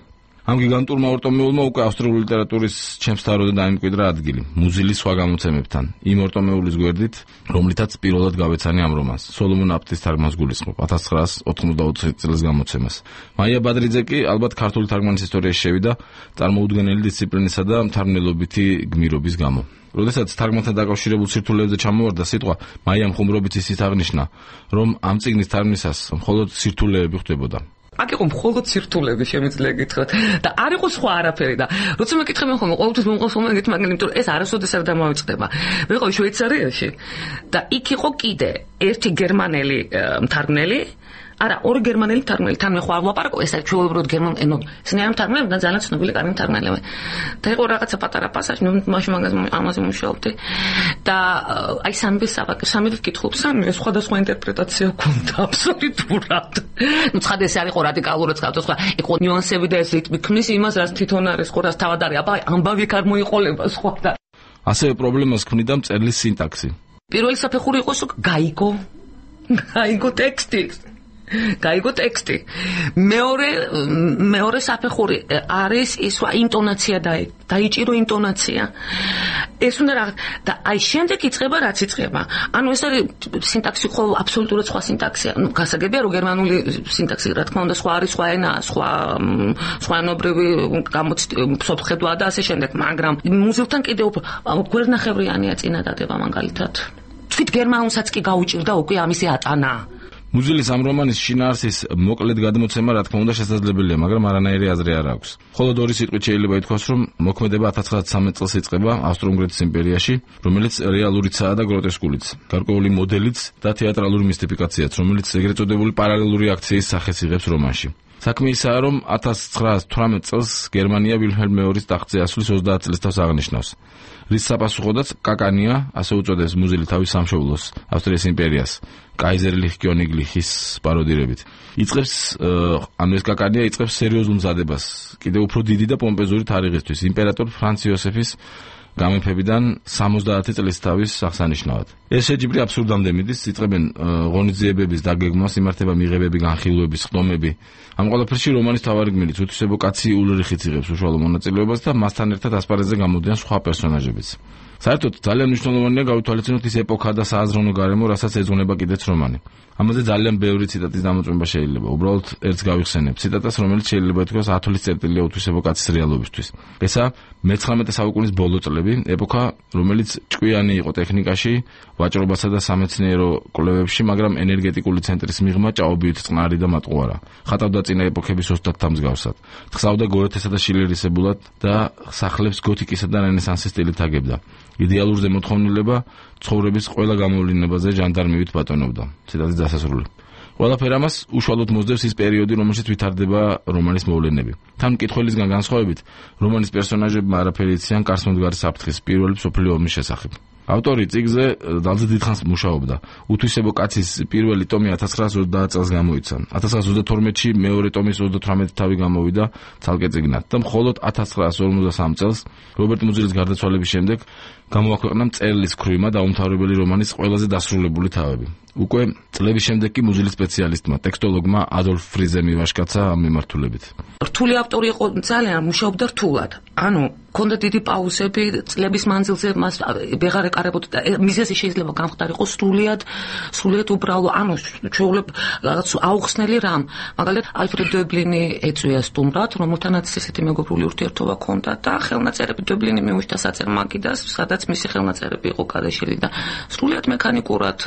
ამ გიგანტურმა ორტომეულმა უკვე ავსტრიული ლიტერატურის ჩემს თავროდან დაიმკვიდრა ადგილი მუზილის სხვა გამოცემებთან. იმ ორტომეულის გვერდით, რომლითაც პირველად გავეცანი ამ რომანს, სოლომონ აპტის თარგმანს გულისხმობ 1984 წლის გამოცემას. მაია ბადრიძე კი ალბათ ქართული თარგმანის ისტორიაში შევიდა წარმოუდგენელი დისციპლინისა და მთარგმნელობითი გმირობის გამო. როდესაც თარგმანთან დაკავშირებულ სირთულეებზე ჩამოვარდა სიტყვა, მაიამ ხუმრობით ისიც აღნიშნა, რომ ამ წიგნის თარგმნისას მხოლოდ სირთულეები ხდებოდა. აქ იყო მხოლოდ სირთულეები შემიძლია გითხრათ და არ იყო სხვა არაფერი და როცა მეკითხები ხოლმე ყოველთვის მომყავს ხოლმე ეგეთი მაგრამ იმიტომ ეს არასოდეს არ დამავიწყდება. მე ვიყავი შვეიცარიაში და იქ იყო კიდე ერთი გერმანელი მთარგმნელი არა, ორი გერმანელი მთარგმნელი, თან მე ხო არ ვლაპარაკო, ეს არის ჩვეულებრივად გერმანელი, სინერა მთარგმნელი და ძალიან ცნობილი კარგი მთარგმნელი. და იყო რაღაცა პატარა პასაჟი, მე მაშინ ამაზე მუშაობდი. და აი სამი კითხულობ, სამი სხვადასხვა ინტერპრეტაცია გვქონდა აბსოლუტურად. ნუ ცხადე ეს არ იყო რადიკალურად გავთო სხვა, იყო ნიუანსები და ეს რიტმი ქმნის იმას, რაც თვითონ არის, ხო, რაც თავად არის, აბა ამბავი არ მოიყოლება სხვა და ასევე პრობლემას ქმნიდა მწერლის სინტაქსი. პირველი საფეხური იყო გაიგო ტექსტი. გაიგო ტექსტი. მეორე საფეხური არის ის ინტონაცია დაიჭირო ინტონაცია. ეს უნდა რაღაც და აი შემდეგ იწყება რაც იწყება. ანუ ეს არის სინტაქსი ხო აბსოლუტურად სხვა სინტაქსია. ნუ გასაგებია რომ გერმანული სინტაქსი რა თქმა უნდა სხვა არის, სხვა ენა, სხვაენობრივი სოფხედვა და ასე შემდეგ, მაგრამ მუზილთან კიდევ გვერდნახევრიანია წინადადება მაგალითად. თვით გერმანულსაც კი გაუჭირდა უკვე ამისი ატანა. მუზილის ამ რომანის შინაარსის მოკლედ გადმოცემა რა თქმა უნდა შესაძლებელია, მაგრამ არანაირი აზრი არ აქვს. მხოლოდ ორი სიტყვით შეიძლება ითქვას, რომ მოქმედება 1913 წელს იწყება ავსტრო-უნგრეთის იმპერიაში, რომელიც რეალურიცაა და გროტესკულიც, გარკვეული მოდელიც და თეატრალური მისტიფიკაციაც, რომელიც ეგრეთ წოდებული პარალელური აქციის სახეს იღებს რომანში. საქმე ისაა, რომ 1918 წელს გერმანია ვილჰელმ მეორის ტახტზე ასვლის 30 წლისთავს აღნიშნავს. რის საპასუხოდაც კაკანია, ასე უწოდეს მუზილი თავის სამშობლოს, ავსტრიის იმპერიას, კაიზერლიხ კიონიგლიხის პაროდირებით. იწყებს ეს კაკანია იწყებს სერიოზულ მზადებას, კიდევ უფრო დიდი და პომპეზური თარიღისთვის, იმპერატორ ფრანც იოსეფის გამეფებიდან 70 წლის თავის აღსანიშნავად. ეს შეჯიბრი აბსურდამდე მიდის, იწყებენ ღონისძიებების დაგეგმვას, იმართება მიღებები, განხილვები, ხდომები. ამ ყველაფერში რომანის თავარი გმირიც უთვისებო კაცი ულრიხიც იღებს უშუალო მონაწილეობას და მასთან ერთად ასპარეზზე გამოდიან სხვა პერსონაჟებიც. საერთოდ ძალიან მნიშვნელოვანია გავითვალისწინოთ ის ეპოქა და სააზროვნო გარემო, რასაც ეძღვნება კიდეც რომანი. ამაზე ძალიან ბევრი ციტატის დამოწმება შეიძლება. უბრალოდ ერთს გავიხსენებ ციტატას, რომელიც შეიძლება ითქვას ათოლის წერტილია უთვისებო კაცის რეალობისთვის. ესა მე-19 საუკუნის ბოლო წლები, ეპოქა, რომელიც ჭკვიანი იყო ტექნიკაში, ვაჭრობასა და სამეცნიერო კვლევებში, მაგრამ ენერგეტიკული ცენტრის მიღმა ჭაობივით წყნარი და მატყუარა. ხატავდა წინა ეპოქების ოსტატთა მსგავსად. თხზავდა გოეთესა და შილერისებულად და სახლებს გოთიკისა და რენესანსის სტილით აგებდა. იდეალურ ზემოთხოვნილება ცხოვრების ყველა გამოვლენებაზე ჟანდარმივით ბატონობდა. ციტატის დასასრული. ყველაფერ ამას უშუალოდ მოსდევს ის პერიოდი, რომელშიც ვითარდება რომანის მოვლენები. თან მკითხველისგან განსხვავებით, რომანის პერსონაჟებმა არაფერი იციან კარსმომდგარი საფრთხის პირველი მსოფლიო ომის შესახებ. ავტორი წიგნზე ძალზე დიდხანს მუშაობდა. უთვისებო კაცის პირველი ტომი 1930 წელს გამოიცა. 1932-ში მეორე ტომის 38 თავი გამოვიდა ცალკე წიგნად და მხოლოდ 1953 წელს რობერტ მუზილის გარდაცვალების შემდეგ გამოაქვეყნა მწერლის ქრუიმა დაუმთავრებელი რომანის ყველაზე დასრულებული თავები. უკვე წლების შემდეგ კი მუზილის სპეციალისტმა, ტექსტოლოგმა ადოლფ ფრიზე მივაშკაცა ამ მიმართულებით. რთული ავტორი იყო, ძალიან მუშაობდა რთულად. ანუ ქონდა დიდი პაუზები წლების მანძილზე, მას ვეღარ ეკარებოდა და მიზეზი შეიძლება გამხდარიყო სრულიად უბრალო, ანუ ჩვეულებ რაღაც აუხსნელი რამ. მაგალითად, ალფრედ დობლინი ეწვია სტუმრად, რომელთანაც ესეთი მეგობრული ურთიერთობა ჰქონდა და ხელნაწერები დობლინი მიუჩნდა საწერ მაგიდას, სადაც მისი ხელნაწერები იყო გადაშლილი და სრულიად მექანიკურად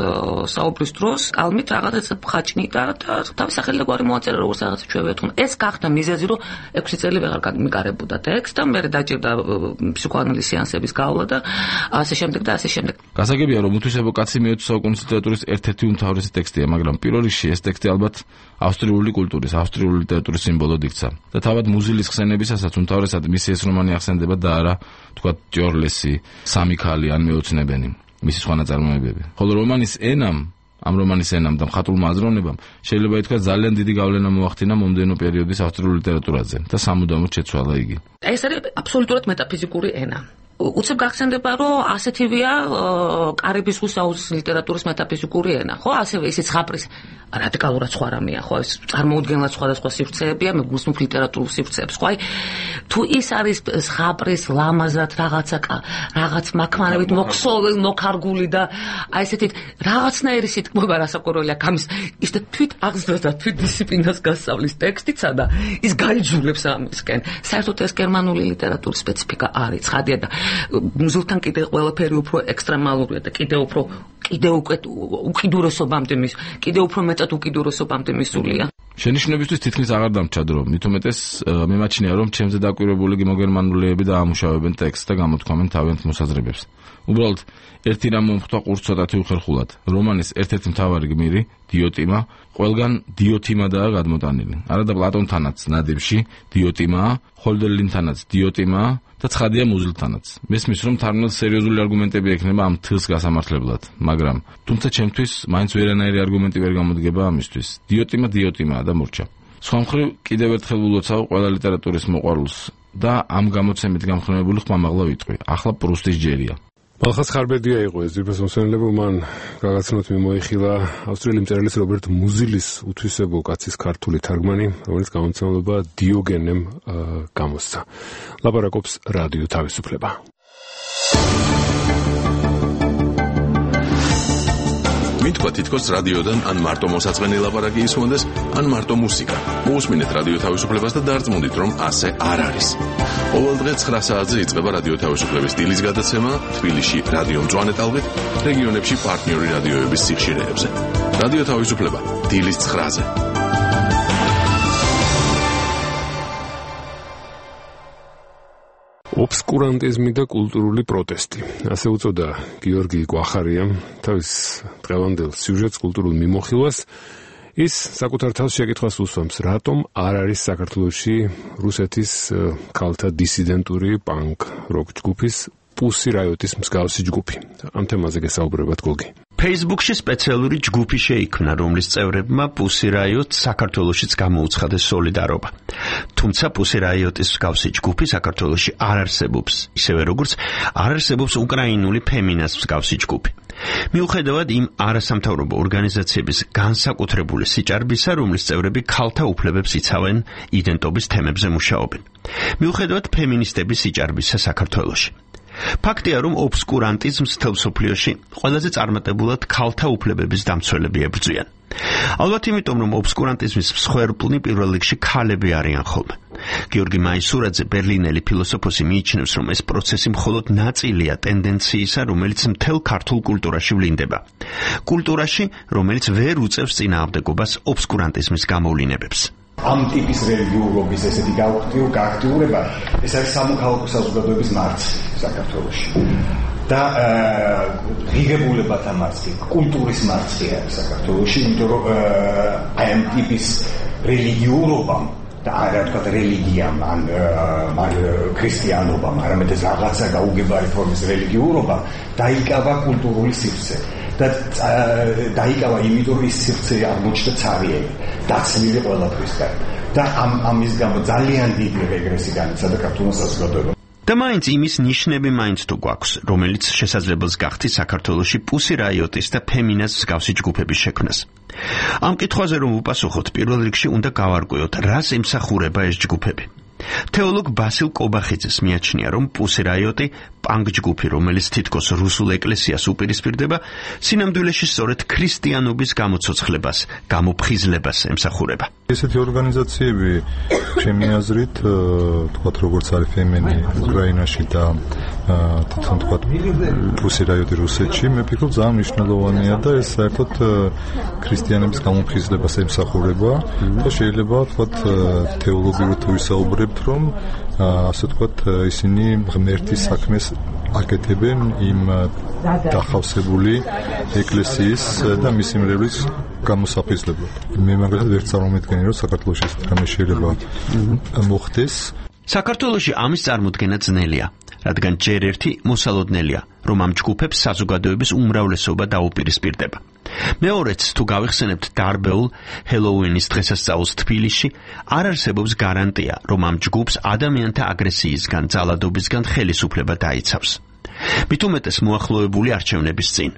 მოგზაურობის დროს კალმით რაღაც ხაჭნიდა და თავის სახელგვარი მოაწერა როგორც რაღაც ჩვევია თქო ეს გახდა მიზეზი რომ 6 წელი ვეღარ გამიკარებოდა ტექსტ და მე დაჭირდა ფსიქოანალიზის სეანსების გავლა და ასე შემდეგ და ასე შემდეგ. გასაგებია რომ უთვისებო კაცი მე-20 საუკუნის ლიტერატურის ერთ-ერთი უმთავრესი ტექსტია, მაგრამ პირველ რიგში ეს ტექსტი ალბათ ავსტრიული კულტურის, ავსტრიული ლიტერატურის სიმბოლოდ იქცა. და თავად მუზილის ხსენებისასაც უმთავრესად მისი ეს რომანი ახსენდება და არა თქვა ჯორლესი, სამი ქალი ან მეოცნებენი, მისი სხვა ნაწარმოებები. ხოლო რომანის ენამ და მხატვრულმა აზროვნებამ შეიძლება ითქვას ძალიან დიდი გავლენა მოახდინა მომდევნო პერიოდის ავსტრიული ლიტერატურაზე და სამუდამოდ შეცვალა იგი. ეს არის აბსოლუტურად მეტაფიზიკური ენა. უცებ გახსენდება რომ ასეთივეა კარიბის ზღვის ლიტერატურის მეტაფიზიკური ენა, ხო? ასევე ისიც ხაპრის რადიკალურად სხვა რამეა, ხო? ეს წარმოუდგენლად სხვადასხვა სივრცეებია, მე გულსმობ ლიტერატურულ სივრცეებს, ხო? თუ ის არის ხაპრის ლამაზად რაღაც მაქმანებით მოქარგული და აი ესეთი რაღაცნაირი სიტყვება რასაკვირველია, გამის ის და თვით აღზრდა და თვით დისციპლინას გასწავლის ტექსტიცა და ის გაიძულებს ამისკენ. საერთოდ ეს გერმანული ლიტერატურის სპეციფიკა არის, ცხადია და მუზილთან კიდე ყველაფერი უფრო ექსტრემალურია და კიდე უფრო მეტად უკიდურესობამდე მისულია. შენიშვნებისთვის თითქმის აღარ დამჭა დრო, მით უმეტეს მემაჩნია რომ ჩემზე დაკვირვებული გემოგერმანულები და ამუშავებენ ტექსტს და გამოთქვამენ თავიანთ მოსაზრებებს. უბრალოდ ერთი რამ მომხვდა ყურს ცოტათი უხერხულად. რომანის ერთ-ერთი მთავარი გმირი, დიოტიმა, ყველგან დიოტიმადაა გადმოტანილი. არა და პლატონთანაც ნადიმში დიოტიმაა, ჰოლდერლინთანაც დიოტიმაა და ცხადია მუზილთანაც. მესმის რომ თარგმნელს სერიოზული არგუმენტები ექნება ამ თილს გასამართლებლად, მაგრამ თუმცა ჩემთვის მაინც ვერანაირი არგუმენტი ვერ გამოდგება ამისთვის. დიოტიმაა და მორჩა. სხვა მხრივ კიდევ ერთხელ ვლოცავ ყველა ლიტერატურის მოყვარულს და ამ გამოცემით გამხნევებული ხმამაღლა ვიტყვი. ახლა პრუსტის ჯერია. მალხას ხარბერდია იყო ეს ძირფას მოსვენებო, მან გაგაცნოთ მიმოიხილა ავსტრიელი მწერლის რობერტ მუზილის უთვისებო კაცის ქართული თარგმანი, რომელიც გამომცემლობა დიოგენემ გამოსცა. ლაპარაკობს რადიო თავისუფლება. მითქვა თითქოს რადიოდან ან მარტო მოსაწყენი ლაპარაკი ისმონდეს, ან მარტო მუსიკა. მოусმინეთ რადიო თავისუფლებას და დარწმუნდით, რომ ასე არ არის. ყოველ დღე 9 საათზე იწყება რადიო თავისუფლების დილის გადაცემა თბილისში რადიო მწვანე ტალღით, რეგიონებში პარტნიორი რადიოების სიხშირეებზე. რადიო თავისუფლება დილის 9-ზე. ობსკურანტიზმი და კულტურული პროტესტი. ასე უწოდა გიორგი გვახარიამ თავის დღევანდელ სიუჟეტს კულტურულ მიმოხილვას. ის საკუთარ თავს შეკითხვას უსვამს, რატომ არ არის საქართველოში რუსეთის ქალთა დისიდენტური პანკ როკ ჯგუფის პუსი რაიოტის მსგავსი ჯგუფი. ამ თემაზე გესაუბრებათ გოგი. Facebook-ში სპეციალური ჯგუფი შეიქმნა, რომლის წევრებმა პუსი რაიოტს საქართველოშიც გამოუცხადეს სოლიდარობა. თუმცა პუსი რაიოტის მსგავსი ჯგუფი საქართველოში არ არსებობს, ისევე როგორც არ არსებობს უკრაინული ფემინას მსგავსი ჯგუფი. მიუხედავად იმ არასამთავრობო ორგანიზაციების განსაკუთრებული სიჭარბისა, რომლის წევრები ქალთა უფლებებს იცავენ, იდენტობის თემებზე მუშაობენ. მიუხედავად ფემინისტების სიჭარბისა საქართველოში. ფაქტია, რომ ობსკურანტიზმს მთელ მსოფლიოში ყველაზე წარმატებულად ქალთა უფლებების დამცველები ებრძვიან. ალბათ იმიტომ, რომ ობსკურანტიზმის მსხვერპლნი პირველ რიგში ქალები არიან ხოლმე. გიორგი მაისურაძე, ბერლინელი ფილოსოფოსი, მიიჩნევს, რომ ეს პროცესი მხოლოდ ნაწილია ტენდენციისა, რომელიც მთელ ქართულ კულტურაში ვლინდება. კულტურაში, რომელიც ვერ უწევს წინააღმდეგობას ობსკურანტიზმის გამოვლინებებს. ამ ტიპის რელიგიურობის ესეთი გააქტიურება, ეს არის სამოქალაქო საზოგადოების მარცხი საქართველოში. და ღირებულებათა მარცხი, კულტურის მარცხი არის საქართველოში, იმიტომ რომ აი ამ ტიპის რელიგიურობამ და არა თქვა რელიგიამ, ან ქრისტიანობამ, არამედ ეს რაღაცა გაუგებარი ფორმის რელიგიურობა დაიკავა კულტურული სივრცე. და დაიკავა იმიტომ, რომ ის სივრცე აღმოჩნდა ცარიელი, დაცლილი ყველაფრისგან. და ამის გამო ძალიან დიდი რეგრესი განიცადა ქართულმა საზოგადოებამ. და მაინც იმის ნიშნები მაინც თუ გვაქვს, რომელიც შესაძლებელს გახდის საქართველოში პუსი რაიოტის და ფემინას მსგავსი ჯგუფების შექმნას. ამ კითხვაზე რომ ვუპასუხოთ, პირველ რიგში უნდა გავარკვიოთ, რას ემსახურება ეს ჯგუფები. თეოლოგ ბასილ კობახიძეს მიაჩნია, რომ პუსი რაიოტი პანკ ჯგუფი, რომელიც თითქოს რუსულ ეკლესიას უპირისპირდება, სინამდვილეში სწორედ ქრისტიანობის გამოცოცხლებას, გამოფხიზლებას ემსახურება. ესეთი ორგანიზაციები, ჩემი აზრით, თქვათ როგორც არის ფემენი უკრაინაში და თვითონ თქვათ პუსი რაიოტი რუსეთში, მე ფიქრობ ძალიან მნიშვნელოვანია და ეს საერთოდ ქრისტიანების გამოფხიზლებას ემსახურება და შეიძლება თქვათ თეოლოგიურად ვისაუბრებთ, რომ ასე თქვათ ისინი ღმერთის საქმეს აკეთებენ იმ დახავსებული ეკლესიის და მისი მრევლის გამოსაფხიზლებლად. მე მაგალითად ვერ წარმოვიდგენი, რომ საქართველოში ეს რამე შეიძლება მოხდეს. საქართველოში ამის წარმოქმნა ძნელია, რადგან ჯერ ერთი მოსალოდნელია, რომ ამ ჯგუფებს საზოგადოების უმრავლესობა დაუპირისპირდება. მეორეც, თუ გავიხსენებთ დარბეულ ჰელოუინის დღესასწაულს თბილისში, არ არსებობს გარანტია, რომ ამ ჯგუფს ადამიანთა აგრესიისგან, ძალადობისგან ხელისუფლება დაიცავს. მით უმეტეს მოახლოებული არჩევნების წინ.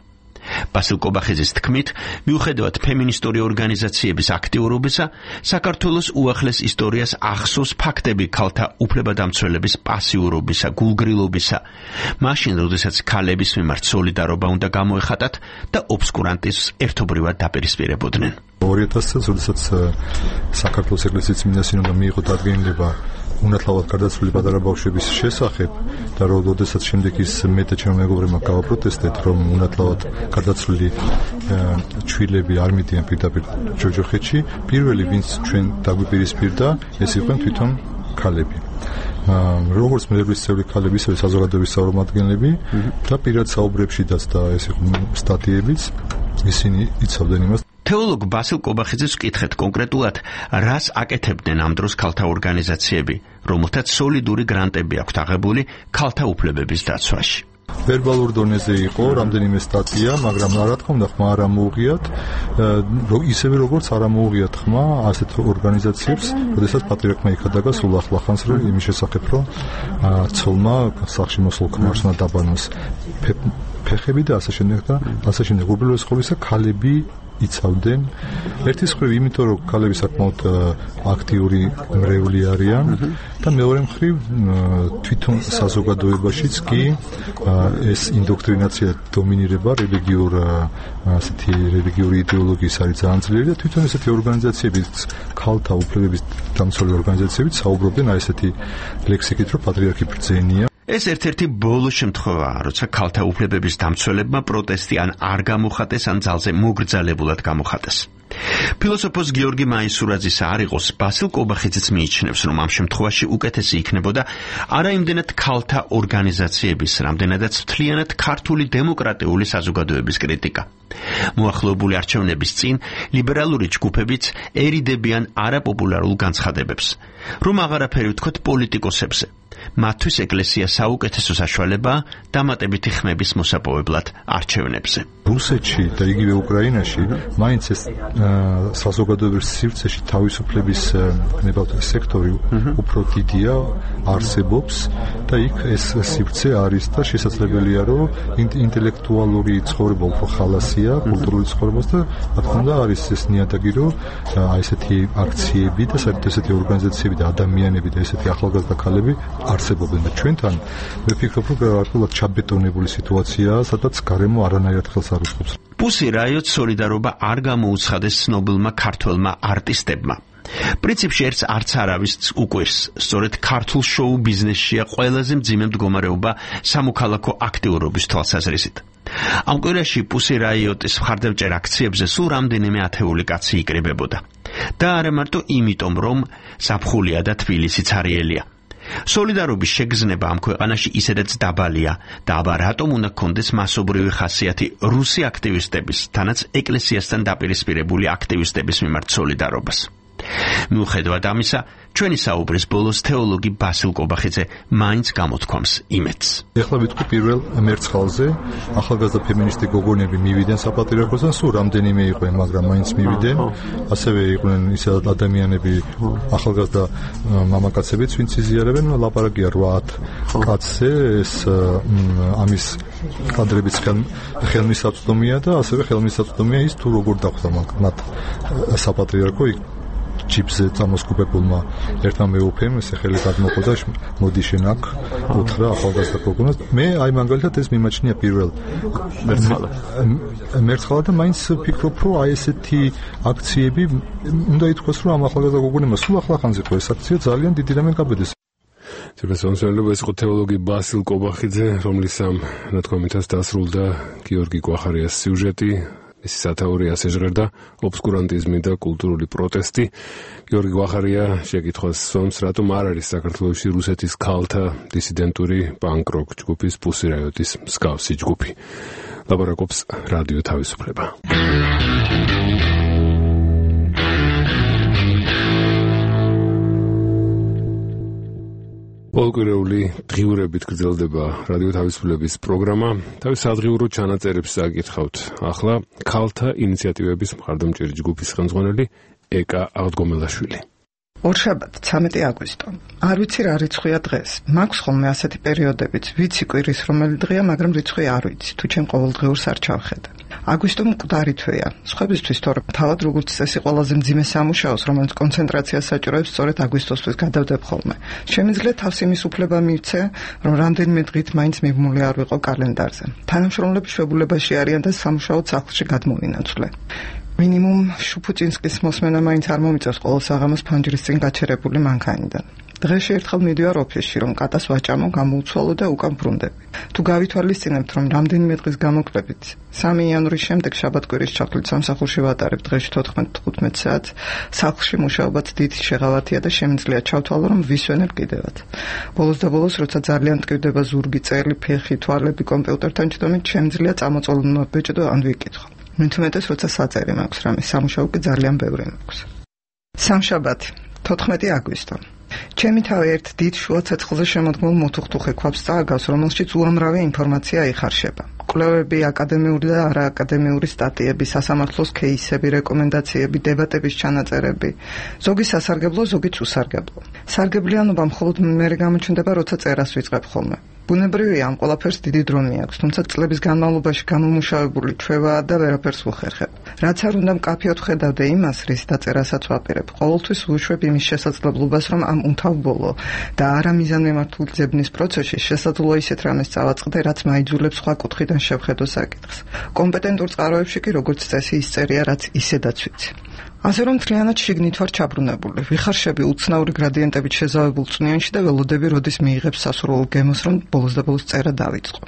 ბასილ კობახიძის თქმით, მიუხედავად ფემინისტური ორგანიზაციების აქტიურობისა, საქართველოს უახლეს ისტორიას ახსოვს ფაქტები ქალთა უფლებადამცველების პასიურობისა, გულგრილობისა, მაშინ, როდესაც ქალების მიმართ სოლიდარობა უნდა გამოეხატათ და ობსკურანტიზმს ერთობრივად დაპირისპირებოდნენ. 2000 წელს, როდესაც საქართველოს ეკლესიის წმინდა სინოდმა მიიღო დადგენილება უნათლავად გარდაცვლილი პატარა ბავშვების შესახებ და როდესაც შემდეგ ის მე და ჩემო მეგობრებმა გავაპროტესტეთ, რომ უნათლავად გარდაცვლილი ჩვილები არ მიდიან პირდაპირ ჯოჯოხეთში, პირველი ვინც ჩვენ დაგვიპირისპირდა, ეს იყვნენ თვითონ ქალები. როგორც მერვლის წევრი ქალები, ისევე საზოგადოების წარმომადგენლები და პირად საუბრებშიც და ეს იყო სტატიებიც, ისინი იცავდნენ იმას. თეოლოგ ბასილ კობახიძეს ვკითხეთ კონკრეტულად, რას აკეთებდნენ ამ დროს ქალთა ორგანიზაციები, რომელთაც სოლიდური გრანტები აქვთ აღებული ქალთა უფლებების დაცვაში. ვერბალურ დონეზე იყო რამდენიმე სტატია, მაგრამ რა თქმა უნდა ხმა არ ამოუღიათ, ისევე როგორც არ ამოუღიათ ხმა ასეთ ორგანიზაციებს, როდესაც პატრიარქმა იქადაგა სულ ახლახანს იმის შესახებ, რომ ცოლმა სახლში მოსულ ქმარს უნდა დაბანოს ფეხები და ასე შემდეგ და ასე შემდეგ. უბრალოდ ყოველისა ქალები იცავდნენ ერთის მხრივ იმიტომ რომ ქალები საკმაოდ აქტიური მრევლი არიან და მეორე მხრივ თვითონ საზოგადოებაშიც კი ეს ინდოქტრინაცია დომინირება რელიგიური იდეოლოგიის არის ძალიან ძლიერი და თვითონ ესეთი ორგანიზაციებიც ქალთა უფლებების დამცველი ორგანიზაციებიც საუბრობდნენ აი ესეთი ლექსიკით რომ პატრიარქი ბრძენია. ეს ერთ-ერთი ბოლო შემთხვევაა, როცა ქალთა უფლებების დამცველებმა პროტესტი ან არ გამოხატეს, ან ძალზე მოგრძალებულად გამოხატეს. ფილოსოფოს გიორგი მაისურაძის არ იყოს, ბასილ კობახიძეც მიიჩნევს, რომ ამ შემთხვევაში უკეთესი იქნებოდა არა იმდენად ქალთა ორგანიზაციების, რამდენადაც მთლიანად ქართული დემოკრატიული საზოგადოების კრიტიკა. მოახლოებული არჩევნების წინ ლიბერალური ჯგუფებიც ერიდებიან არაპოპულარულ განცხადებებს, რომ აღარაფერი ვთქვათ პოლიტიკოსებზე. მათთვის ეკლესია საუკეთესო საშუალებაა დამატებითი ხმების მოსაპოვებლად არჩევნებზე. რუსეთში და იგივე უკრაინაში მაინც ეს საზოგადოების სივრცეში თავისუფლების სექტორი უფრო დიდია, არსებობს და იქ ეს სივრცე არის და შესაძლებელია რომ ინტელექტუალური ცხოვრება უფრო ხალასია, კულტურული ცხოვრებას და რა თქმა უნდა არის ეს ნიადაგი რომ აი ესეთი აქციები და საერთოდ ესეთი ორგანიზაციები და ადამიანები და ესეთი ახალგაზრდა ქალები არსებობენ და ჩვენთან მე ფიქრობ რომ გარკვეულად ჩაბეტონებული სიტუაციაა, სადაც გარემო არანაირად ხელს არ უწყობს. პუსი რაიოტ სოლიდარობა არ გამოუცხადეს ცნობილმა ქართველმა არტისტებმა. პრინციპში ერთს არც არავის უკვირს, სწორედ ქართულ შოუ ბიზნესშია ყველაზე მძიმე მდგომარეობა სამოქალაქო აქტიურობის თვალსაზრისით. ამ კვირაში პუსი რაიოტის მხარდამჭერ აქციებზე სულ რამდენიმე ათეული კაცი იკრიბებოდა. და არა მარტო იმიტომ, რომ ზაფხულია და თბილისი ცარიელია. სოლიდარობის შეგრძნება ამ ქვეყანაში ისედაც დაბალია და აბა რატომ უნდა გქონდეს მასობრივი ხასიათი რუსი აქტივისტების, თანაც ეკლესიასთან დაპირისპირებული აქტივისტების მიმართ სოლიდარობას. მიუხედავად ამისა, ჩვენი საუბრის ბოლოს თეოლოგი ბასილ კობახიძე მაინც გამოთქვამს იმედს. ეხლა ვიტყვი პირველ მერცხალზე, ახალგაზრდა ფემინისტი გოგონები მივიდნენ საპატრიარქოსთან, სულ რამდენიმე იყვნენ, მაგრამ მაინც მივიდნენ. ასევე იყვნენ ისე ადამიანები, ახალგაზრდა მამაკაცებიც, ვინც იზიარებენ, ლაპარაკია 8 კაცზე, ეს ამის კადრებიც ხელმისაწვდომია და ასევე ხელმისაწვდომია ის თუ როგორ დახვდა მათ საპატრიარქო ჯიპზე წამოსკუპებულმა ერთმა მეუფემ ესე ხელი გადმოყო და მოდი შენ აქ უთხრა ახალგაზრდა გოგონას. მე აი მაგალითად ეს მიმაჩნია პირველ მერცხალა და მაინც ფიქრობ რომ აი ესეთი აქციები უნდა ითქვას რომ ამ ახალგაზრდა გოგონებმა სულ ახლახანს იყო ეს აქცია ძალიან დიდი რამე გაბედეს. Ცებესონსელობა ეს იყო თეოლოგი ბასილ კობახიძე, რომლის ამ ნათქვამითაც დასრულდა გიორგი გვახარიას სიუჟეტი. მისი სათაური ასე ჟღერდა ობსკურანტიზმი და კულტურული პროტესტი. გიორგი გვახარია შეკითხვას სვამს, რატომ არ არის საქართველოში რუსეთის ქალთა დისიდენტური პანკ-როკ ჯგუფის პუსი რაიოტის მსგავსი ჯგუფი. ლაპარაკობს რადიო თავისუფლება. პოლკურეული დღიურებით გრძელდება რადიო თავისუფლების პროგრამა. თავის სადღიურო ჩანაწერებს აკითხავთ. ახლა ქალთა ინიციატივების მხარდამჭერი ჯგუფის ხელმძღვანელი ეკა აღდგომელაშვილი. ორშაბათ 13 აგვისტო. არ ვიცი რა რიცხვია დღეს. მაქვს ხოლმე ასეთი პერიოდებიც, ვიცი კვირის რომელი დღეა, მაგრამ რიცხვი არ ვიცი, თუ ჩემ ყოველდღიურს არ ჩავხედე. აგვისტო მკვდარი თვეა. სხვებისთვის თორემ თავად როგორც წესი ყველაზე მძიმე სამუშაოს, რომელიც კონცენტრაციას საჭიროებს, სწორედ აგვისტოსთვის გადავდებ ხოლმე. შემიძლია თავს იმის უფლება მივცე, რომ რამდენიმე დღით მაინც მიბმული არ ვიყო კალენდარზე. თანამშრომლები შვებულებაში არიან და სამუშაოდ სახლში გადმოვინაცვლე. მინიმუმ შუფუჭინსკის მოსმენა მაინც არ მომიწევს ყოველ საღამოს ფანჯრის წინ გაჩერებული მანქანიდან. დღეში ერთხელ მიდივარ ოფისში, რომ კატას ვაჭამო, გამოუცვალო და უკან ბრუნდები. თუ გავითვალისწინებთ, რომ რამდენიმე დღის გამოკლებით 3 იანვრის შემდეგ შაბათ-კვირის ჩათვლით სამსახურში ვატარებ დღეში 14-15 საათს, სახლში მუშაობაც დიდი შეღავათია და შემიძლია ჩავთვალო, რომ ვისვენებ კიდევაც. ბოლოს და ბოლოს, როცა ძალიან მტკივდება ზურგი, წელი, ფეხი, თვალები კომპიუტერთან ჩდომით, შემიძლია წამოწოლო ბეჭდო ან ვიკითხო. მithumetes როცა საჭერი მაქვს რამე სამუშაო კი ძალიან ბევრი მაქვს. სამშაბათი 14 აგვისტო. ჩემი თავი ერთ დიდ შუა ცეცხლზე შემოდგმულ მოთუხთუხე ქვაბს წააგავს, რომელშიც უამრავი ინფორმაცია იხარშება. კვლევები, აკადემიური და არააკადემიური სტატიები, სასამართლოს кейსები, რეკომენდაციები, დებატების ჩანაწერები. ზოგი სასარგებლო, ზოგიც უსარგებლო. სარგებლიანობა მხოლოდ მერე გამოჩნდება, როცა წერას ვიწყებ ხოლმე. ბუნებრივია, ამ ყველაფერს დიდი დრო მიაქვს, თუმცა წლების განმავლობაში გამომუშავებული ჩვევაა და ვერაფერს ვუხერხებ. რაც არ უნდა მკაფიოდ ხედავდე იმას, რის დაწერასაც ვაპირებ. ყოველთვის ვუშვებ იმის შესაძლებლობას, რომ ამ უმთავრობო და არამიზანმიმართული ძებნის პროცესში შესაძლოა ისეთ რამეს წავაწყდე, რაც მაიძულებს სხვა კუთხიდან შევხედო საკითხს. კომპეტენტურ წყაროებში კი როგორც წესი ისწერია, რაც ისედაც ვიცი. ასე რომ მთლიანად შიგნით ვარ ჩაბრუნებული. ვიხარშები უცნაური გრადიენტებით შეზავებულ წვნიანში და ველოდები, როდის მიიღებს სასურველ გემოს, რომ ბოლოს და ბოლოს წერა დავიწყო.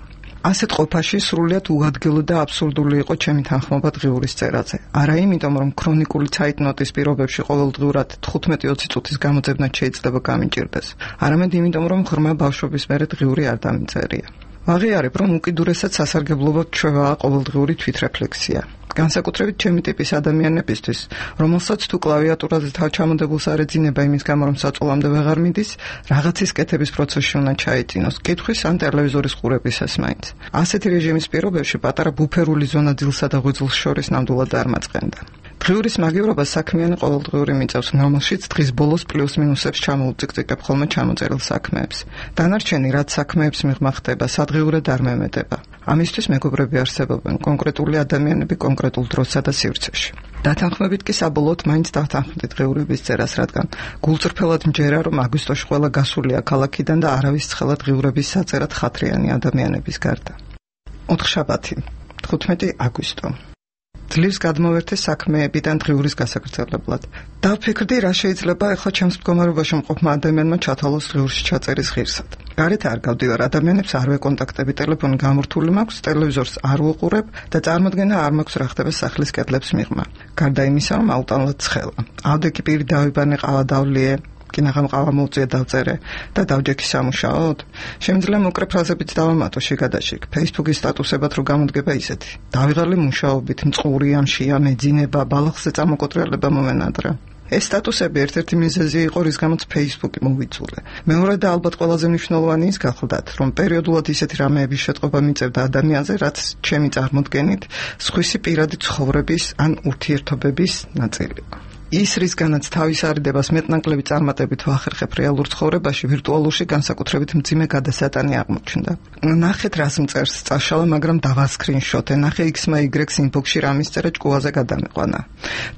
ასეთ ყოფაში სრულიად უადგილო და აბსურდული იყო ჩემი თანხმობა დღიურის წერაზე. არა იმიტომ, რომ ქრონიკული ცაიტნოტის პირობებში ყოველდღიურად 15-20 წუთის გამოძებნა შეიძლება გამიჭირდეს. არამედ იმიტომ, რომ ღრმა ბავშვობის მერე დღიური არ დამიწერია. ვაღიარებ, რომ უკიდურესად სასარგებლობად ჩვევაა ყოველდღიური თვითრეფლექსია. განსაკუთრებით ჩემი ტიპის ადამიანებისთვის, რომელსაც თუ კლავიატურაზე თავჩამოდებულს არ ეძინება იმის გამო, რომ საწოლამდე ვეღარ მიდის, რაღაცის კეთების პროცესში უნდა ჩაეწინოს, კითხვის ან ტელევიზორის ყურებისას მაინც. ასეთი რეჟიმის პირობებში პატარა ბუფერული ზონა დილსა და ღვიძლს შორის ნამდვილად არ მაწყენდა. დღიურის მაგივრობა საქმიანი ყოველდღიური მიწევს, რომელშიც დღის ბოლოს პლუს-მინუსებს ჩამოუწიკწიკებ ხოლმე ჩამოწერილ საქმეებს. დანარჩენი რაც საქმეებს მიღმა ხდება, სადღიურად არ მემეტება. ამისთვის მეგობრები არსებობენ, კონკრეტული ადამიანები კონკრეტულ დროსა და სივრცეში. დათანხმებით კი საბოლოოდ მაინც დათანხმდით დღიურების წერას, რადგან გულწრფელად მჯერა, რომ აგვისტოში ყველა გასულია ქალაქიდან და არავის ცხელა დღიურების საწერად ხათრიანი ადამიანების გარდა. ოთხშაბათი 15 აგვისტო. ძლივს გადმოვერთე საქმეებიდან დღიურის გასაგრძელებლად. დავფიქრდი, რა შეიძლება ახლა ჩემს მდგომარეობაში მყოფმა ადამიანმა ჩათვალოს დღიურში ჩაწერის ღირსად. გარეთ არ გავდივარ, ადამიანებს არ ვეკონტაქტები, ტელეფონი გამორთული მაქვს, ტელევიზორს არ ვუყურებ და წარმოდგენა არ მაქვს რა ხდება სახლის კედლებს მიღმა. გარდა იმისა, რომ აუტანლად ცხელა. ავდეგი პირი დავიბანე, ყავა დავლიე, კინაღამ ყავა მოუწია დავწერე და დავჯექი სამუშაოდ. შემიძლია მოკრე ფრაზებით დავამატო შიგადაშიგ. Facebook-ის სტატუსებად რო გამოდგება ისეთი. დავიღალე მუშაობით, მწყური ამშია, მეძინება, ბალახზე წამოკოტრიალება მომენადრა. ეს სტატუსები ერთ-ერთი მიზეზი იყო, რის გამოც Facebook-ი მოვიწულე. მეორე და ალბათ ყველაზე მნიშვნელოვანი ის გახლდათ, რომ პერიოდულად ისეთი რამეების შეტყობა მიწევდა ადამიანზე, რაც ჩემი წარმოდგენით სხვისი პირადი ცხოვრების ან ურთიერთობების ნაწილი იყო. ის რისგანაც თავის არიდებას მეტნაკლები წარმატებით ვახერხებ რეალურ ცხოვრებაში, ვირტუალურში განსაკუთრებით მძიმე გადასატანი აღმოჩნდა. ნახეთ რას მწერს წაშალა, მაგრამ დავასკრინშოტე. ნახე X-მა Y-ს ინბოქსში რამის წერა ჭკუაზე გადამეყვანა.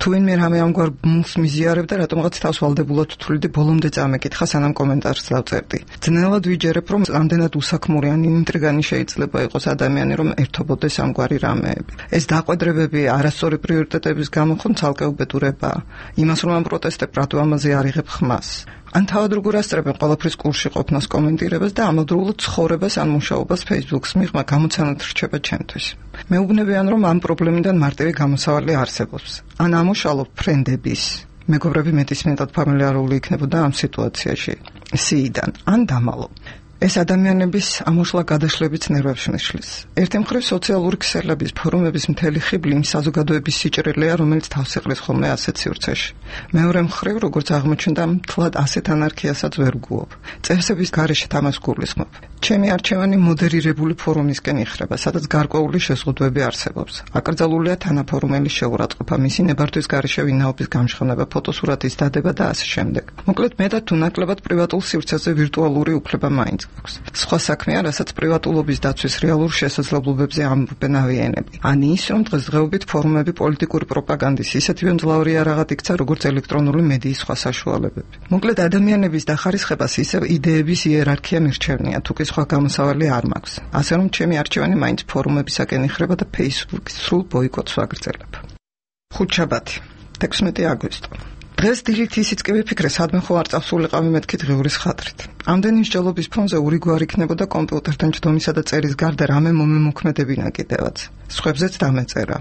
თუ ვინმე რამე ამგვარ მულს მიზიარებდა, რატომღაც თავს ვალდებულად ვთვლიდი, ბოლომდე წამეკითხა, სანამ კომენტარს დავწერდი. ძნელად ვიჯერებ, რომ ამდენად უსაქმური ან ინტრიგანი შეიძლება იყოს ადამიანი, რომ ერთობოდეს ამგვარი რამეები. ეს დაყვედრებები არასწორი პრიორიტეტების გამო ხომ ცალკე უბედურებაა. იმას რომ ამ პროტესტებ რატო ამაზე არ იღებ ხმას. ან თავად როგორ ასწრებენ ყველაფრის კურსში ყოფნას, კომენტირებას და ამავდროულად ცხოვრებას ან მუშაობას Facebook-ს მიღმა გამოცანად რჩება ჩემთვის. მეუბნებიან, რომ ამ პრობლემიდან მარტივი გამოსავალი არსებობს. ან ამუშალობ ფრენდების, მეგობრები მეტისმეტად ფამილიარული იქნებოდა ამ სიტუაციაში. სიიდან ან დამალო. ეს ადამიანების ამოშლა გადაშლებიც ნერვებს მიშლის. ერთი მხრივ სოციალური ქსელების, ფორუმების მთელი ხიბლი იმ საზოგადოების სიჭრელეა, რომელიც თავს იყრის ხოლმე ასეთ სივრცეში. მეორე მხრივ, როგორც აღმოჩნდა, მთლად ასეთ ანარქიასაც ვერ ვგუობ. წესების გარეშე თამას გულისხმობ. ჩემი არჩევანი მოდერირებული ფორუმისკენ იხრება, სადაც გარკვეული შეზღუდვები არსებობს. აკრძალულია თანაფორუმელის შეურაცხყოფა, მისი ნებართვის გარეშე ვინაობის გამჟღავნება, ფოტოსურათის დადება და ასე შემდეგ. მოკლედ, მეტად თუ ნაკლებად პრივატულ სივრცეზე ვირტუალური უფლება მაინც გვაქვს. სხვა საქმეა, რასაც პრივატულობის დაცვის რეალურ შესაძლებლობებზე ამბობენ ავიენები. ან ის, რომ დღესდღეობით ფორუმები პოლიტიკური პროპაგანდის ისეთივე მძლავრი არაღად იქცა, როგორც ელექტრონული მედიის სხვა საშუალებები. მოკლედ, ადამიანების დახარისხებას ისევ იდეების იერარქია მირჩევნია, თუ კი სხვა გამოსავალი არ მაქვს. ასე რომ ჩემი არჩევანი მაინც ფორუმებისაკენ იხრება და Facebook-ის სრულ ბოიკოტს ვაგრძელებ. ხუთშაბათი, 16 აგვისტო. დღეს დილით ისიც კი ვიფიქრე, სადმე ხო არ წავსულიყავი მეთქი დღევრის ხატრით. ამდენი მსჯელობის ფონზე ურიგვარი იქნებოდა კომპიუტერთან ჯდომისა და წერის გარდა რამე მომემოქმედებინა კიდევაც. სხვებზეც დამეწერა.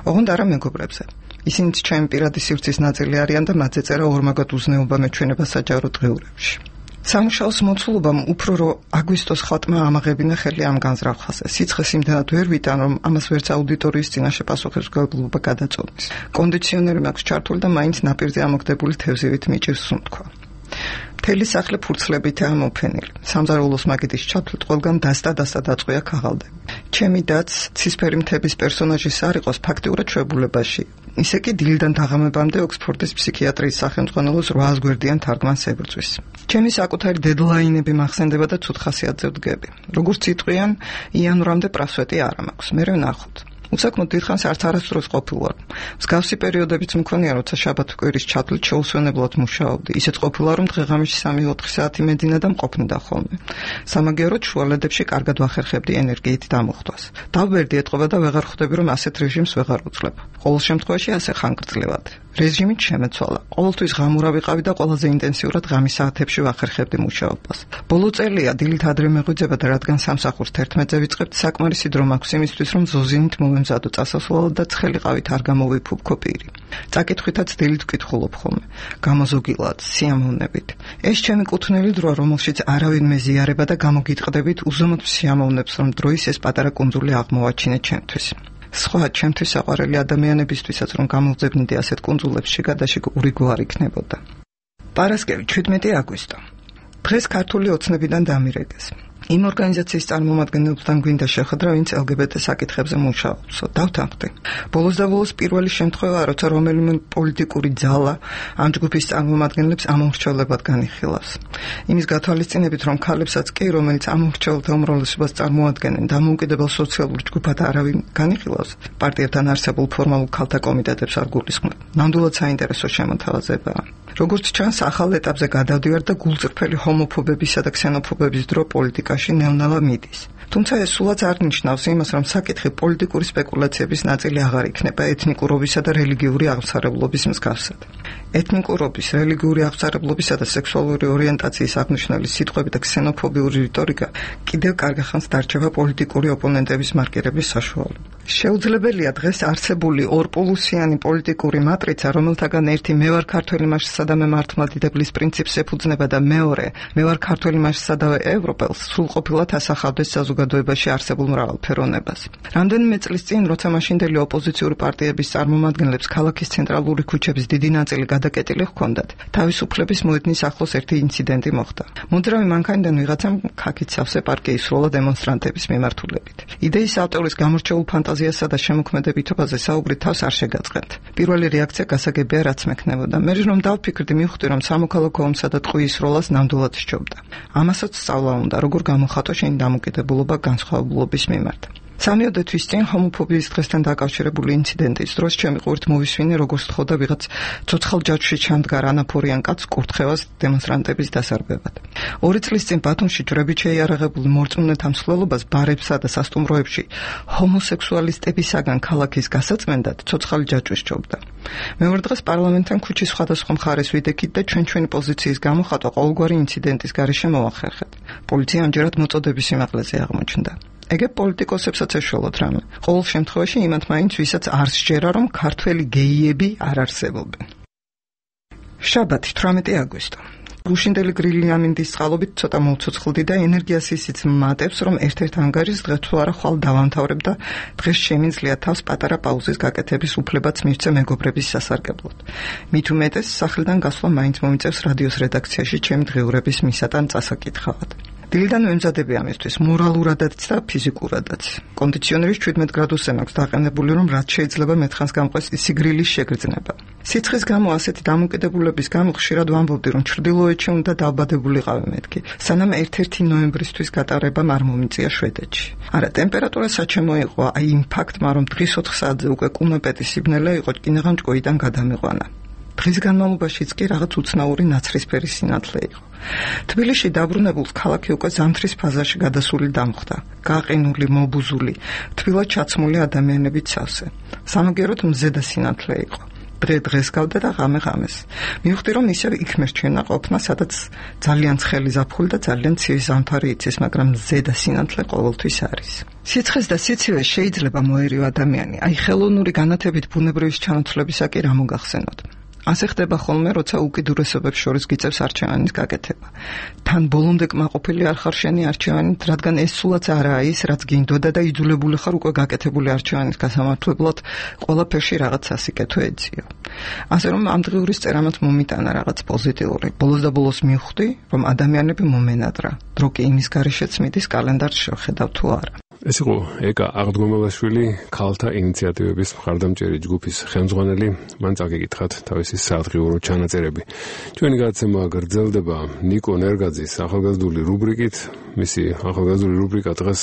ოღონდ არა მეგობრებზე. ისინიც ჩემი პირადი სივრცის ნაწილი არიან და მათზე წერა ორმაგად უზნეობა მეჩვენება საჯარო დღეურებში. სამუშაოს მოცულობამ უფრო რო აგვისტოს ხატმა ამაღებინა ხელი ამ განზრახვაზე. სიცხეს იმდენად ვერ ვიტან, რომ ამას ვერც აუდიტორიის წინაშე პასუხისმგებლობა გადაწყვეტს. კონდიციონერი მაქვს ჩართული და მაინც ნაპირზე ამოგდებული თევზივით მიჭირს სუნთქვა. მთელი სახლი ფურცლებითაა მოფენილი. სამზარეულოს მაგიდის ჩათვლით ყველგან დასტა დაწყვია ქაღალდები. ჩემი დაც ცისფერი მთების პერსონაჟის არ იყოს ფაქტიურად შვებულებაში. ისე კი დილიდან დაღამებამდე ოქსფორდის ფსიქიატრიის სახელმძღვანელოს 800 გვერდიან თარგმანს ებრძვის. ჩემი საკუთარი დედლაინები მახსენდება და ცუდ ხასიათზე ვდგები. როგორც იტყვიან, იანვრამდე პრასვეტი არ მაქვს. მე ვნახოთ. უსაქმოდ დიდხანს არც არასდროს ყოფილვარ. მსგავსი პერიოდებიც მქონია, როცა შაბათ-კვირის ჩათვლით შეუსვენებლად მუშაობდი. ისეც ყოფილა, რომ დღე-ღამეში 3-4 საათი მეძინა და მყოფნიდა ხოლმე. სამაგიეროდ შუალედებში კარგად ვახერხებდი ენერგიით დამოხტვას. დავბერდი ეტყობა და ვეღარ ხვდები, რომ ასეთ რეჟიმს ვეღარ უძლებ. ყოველ შემთხვევაში ასე ხანგრძლივად. რეჟიმით შემეცვალა. ყოველთვის ღამურა ვიყავი და ყველაზე ინტენსიურად ღამის საათებში ვახერხებდი მუშაობას. ბოლო წელია დილით ადრე მეღვიძება და რადგან სამსახურს 11-ზე ვიწყებთ, საკმარისი დრო მაქვს იმისთვის, რომ ზოზინით მომემზადო წასასვლელად და ცხელი-ყავით არ გამოვიფუბკო პირი. წაკითხვითაც დილით ვკითხულობ ხოლმე. გამოზოგილად, სიამოვნებით. ეს ჩემი კუთვნილი დროა, რომელშიც არავინ მეზიარება და გამოგიტყდებით უზომოდ სიამოვნებს, რომ დროის ეს პატარა კუნძული აღმოვაჩინე ჩემთვის. სხვა ჩემთვის საყვარელი ადამიანებისთვისაც რომ გამოვძებნიდი ასეთ კუნძულებში გადაშიგ ურიგვარი იქნებოდა. პარასკევი 17 აგვისტო. დღეს ქართული ოცნებიდან დამირეკეს. იმ ორგანიზაციის წარმომადგენლებთან გვინდა შეხვედრა, ვინც LGBT საკითხებზე მუშაობს. დავთანხმდი. ბოლოს და ბოლოს პირველი შემთხვევაა, როცა რომელიმე პოლიტიკური ძალა ამ ჯგუფის წარმომადგენლებს ამომრჩევლებად განიხილავს. იმის გათვალისწინებით, რომ ქალებსაც კი, რომელიც ამომრჩეველთა უმრავლესობას წარმოადგენენ, დამოუკიდებელ სოციალურ ჯგუფად არავინ განიხილავს, პარტიებთან არსებულ ფორმალურ ქალთა კომიტეტებს არ გულისხმობ. ნამდვილად საინტერესო შემოთავაზებაა. როგორც ჩანს, ახალ ეტაპზე გადავდივარ და გულწრფელი ჰომოფობებისა და ქსენოფობების დრო პოლიტიკაში ნევნალა მიდის. თუმცა ეს სულაც არ ნიშნავს იმას, რომ საკითხი პოლიტიკური სპეკულაციების ნაწილი აღარ იქნება ეთნიკურობისა და რელიგიური აღმსარებლობის მსგავსად. ეთნიკურობის, რელიგიური აღმსარებლობისა და სექსუალური ორიენტაციის აღნიშნული სიტყვები და ქსენოფობიური რიტორიკა კიდევ კარგახანს დარჩება პოლიტიკური ოპონენტების მარკირების საშუალება. შეუძლებელია დღეს არსებული ორპოლუსიანი პოლიტიკური მატრიცა, რომელთაგან ერთი მე ვარ ქართველი მასშტაბსა და მემართლმადიდებლის პრინციპს ეფუძნება და მეორე მე ვარ ქართველი მასშტაბსა და ევროპელს სრულყოფილად ასახავდეს საზოგადოებაში არსებულ მრავალფეროვნებას. რამდენიმე წლის წინ, როცა მაშინდელი ოპოზიციური პარტიების წარმომადგენლებს ქალაქის ცენტრალური ქუჩების დიდი ნაწილი გადაკეტილი ჰქონდათ, თავისუფლების მოედნის ახლოს ერთი ინციდენტი მოხდა. მოძრავი მანქანიდან ვიღაცამ ქაქით სავსე პარკი ისროლა დემონსტრანტების მიმართულებით. იდეის ავტორის გამორჩეულ ფანტაზიას ფანტაზიასა და შემოქმედებითობაზე საუბრით თავს არ შეგაწყენთ. პირველი რეაქცია გასაგებია, რაც მექნებოდა. მე რომ დავფიქრდი, მივხვდი, რომ სამოქალაქო ომსა და ტყუის როლას ნამდვილად სჯობდა. ამასაც სწავლა უნდა, როგორ გამოხატო შენი დამოკიდებულობა განსხვავებულობის მიმართ. 3 თვის წინ ჰომოფობიის დღესთან დაკავშირებული ინციდენტის დროს ჩემი ყურით მოვისმინე, როგორც თხოვდა ვიღაც ცოცხალ ჯაჭვში ჩამდგარ ანაფორიან კაცს კურთხევას დემონსტრანტების დასარბევად. 2 წლის წინ ბათუმში ჯვრებით შეიარაღებული მორწმუნეთა მსვლელობას ბარებსა და სასტუმროებში ჰომოსექსუალისტებისაგან ქალაქის გასაწმენდად ცოცხალი ჯაჭვი სჯობდა. მეორე დღეს პარლამენტთან ქუჩის სხვადასხვა მხარეს ვიდექით და ჩვენი პოზიციის გამოხატვა ყოველგვარი ინციდენტის გარეშე მოახერხეთ. პოლიცია ამჯერად მოწოდების სიმაღლეზე აღმოჩნდა. ეგ პოლიტიკოსებსაც ეშველოთ რამე. ყოველ შემთხვევაში იმათ მაინც ვისაც არ სჯერა, რომ ქართველი გეიები არ არსებობენ. შაბათი 18 აგვისტო. გუშინდელი გრილი ამინდის წყალობით ცოტა მოვცოცხლდი და ენერგიას ისიც მატებს, რომ ერთ-ერთ ანგარიშს დღეს თუ არა ხვალ დავამთავრებ და დღეს შემიძლია თავს პატარა პაუზის გაკეთების უფლებაც მივცე მეგობრების სასარგებლოდ. მით უმეტეს სახლიდან გასვლა მაინც მომიწევს რადიოს რედაქციაში ჩემი დღიურების მისატან წასაკითხავად. დილიდან ვემზადები ამისთვის, მორალურადაც და ფიზიკურადაც. კონდიციონერის 17 გრადუსზე მაქვს დაყენებული, რომ რაც შეიძლება მეთხანს გამყვეს სიგრილის შეგრძნება. სიცხის გამო ასეთი დამოკიდებულების გამო ხშირად ვამბობდი, რომ ჩრდილოეთში უნდა დავბადებულიყავი მეთქი, სანამ 1 ნოემბრისთვის გატარებამ არ მომიწია შვედეთში. არა, ტემპერატურა საჩემო იყო, აი იმ ფაქტმა, რომ დღის 4 საათზე უკვე კუმეპეტი სიბნელე იყო, კინაღამ ჭკუიდან გადამიყვანა. დღის განმავლობაშიც კი რაღაც უცნაური ნაცრისფერი სინათლე იყო. თბილისში დაბრუნებულს ქალაქი უკვე ზამთრის ფაზაში გადასული დამხვდა. გაყინული, მობუზული, თბილად ჩაცმული ადამიანებით სავსე. სამაგეროდ მზედა სინათლე იყო. დღე დღეს გავდა და ღამე ღამეს. მივხვდი, რომ ისევ იქ მერჩვენა ყოფნა, სადაც ძალიან ცხელი ზაფხული და ძალიან ცივი ზამთარი იცის, მაგრამ მზედა სინათლე ყოველთვის არის. სიცხეს და სიცივეს შეიძლება მოერივ ადამიანი. აი ხელოვნური განათებით ბუნებრივის ჩანაცვლებისა კი რა მოგახსენოთ. ასე ხდება ხოლმე, როცა უკიდურესობებს შორის გიწევს არჩევანის გაკეთება. თან ბოლომდე კმაყოფილი არ ხარ შენი არჩევანით, რადგან ეს სულაც არაა ის, რაც გინდოდა და იძულებული ხარ უკვე გაკეთებული არჩევანის გასამართლებლად ყველაფერში რაღაც სასიკეთო ეძიო. ასე რომ ამ დღიურის წერამაც მომიტანა რაღაც პოზიტიური. ბოლოს და ბოლოს მივხვდი, რომ ადამიანები მომენადრა. დრო კი იმის გარეშეც მიდის, კალენდარს შევხედავ თუ არა. ეს იყო ეკა აღდგომელაშვილი, ქალთა ინიციატივების მხარდამჭერი ჯგუფის ხელმძღვანელი. მან წაგეკითხათ თავისი საათღიურო ჩანაწერები. ჩვენი გადაცემა გრძელდება ნიკო ნერგაძის ახალგაზრდული რუბრიკით. მისი ახალგაზრდული რუბრიკა დღეს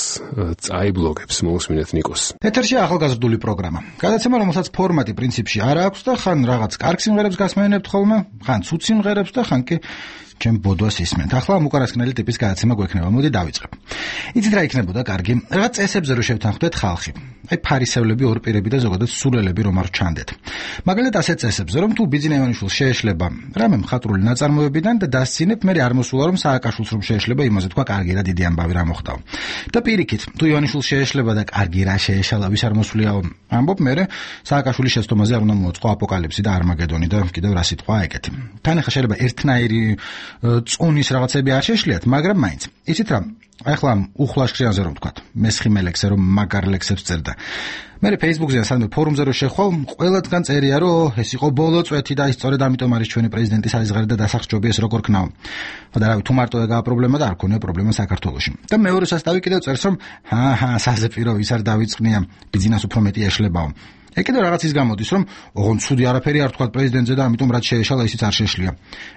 წაიბლოგებს. მოусმინეთ ნიკოს. ეთერში ახალგაზრდული პროგრამა. გადაცემა, რომელსაც ფორმატი პრინციპში არ აქვს და ხან რაღაც კარგ სიმღერებს გასმენებთ ხოლმე, ხან ცუდ სიმღერებს და ხან კი ჩემ ბოდვას ისმენთ. ახლა უკანასკნელი ტიპის გადაცემა გვექნება. მოდი დავიწყებ. იცით რა იქნებოდა კარგი? რაღაც წესებზე რო შევთანხმდეთ ხალხი. აი ფარისევლები, ორპირები და ზოგადად სულელები რომ არ ჩანდეთ. მაგალითად ასეთ წესებზე, რომ თუ ბიძინა ივანიშვილს შეეშლება რამე მხატვრული ნაწარმოებიდან და დასცინებ, მე არ მოსულა რომ სააკაშვილს რომ შეეშლება, იმაზე თქვა კარგი რა დიდი ამბავი რა მოხდაო. და პირიქით, თუ ივანიშვილს შეეშლება და კარგი რა შეეშალა, ვის არ მოსულიაო, ამბობ მე სააკაშვილის შეცდომაზე არ უნდა მოაწყო აპოკალიფსი და არმაგედონი და კიდევ რა სიტყვაა ეგეთი. თან ახლა შეიძლება ერთნაირი წონის რაღაცები არ შეშლიათ, მაგრამ მაინც. იცით რა? ახლა უხლაშქრიანზე რომ ვთქვათ, მესხიმელექსე რომ მაგარ ლექსებს წერდა. მე Facebook-ზე სადმე ფორუმზე რომ შეხვალ, ყველათგან წერია რომ ეს იყო ბოლო წვეთი და სწორედ ამიტომ არის ჩვენი პრეზიდენტის არიზღარი და დასახსჯობი ეს როგორ ქნაო. და რავი, თუ მარტო ეგაა პრობლემა და არ ქონია პრობლემა საქართველოში. და მეორე სასტავი კიდევ წერს რომ საზეპირო ვის არ დავიწყნია, ბიძინას უფრო მეტი ეშლებაო. ეგ კიდევ რაღაცის გამოდის, რომ ოღონდ ცუდი არაფერი არ თქვა პრეზიდენტზე და ამიტომ რაც შეეშალა ისიც არ შეშლია.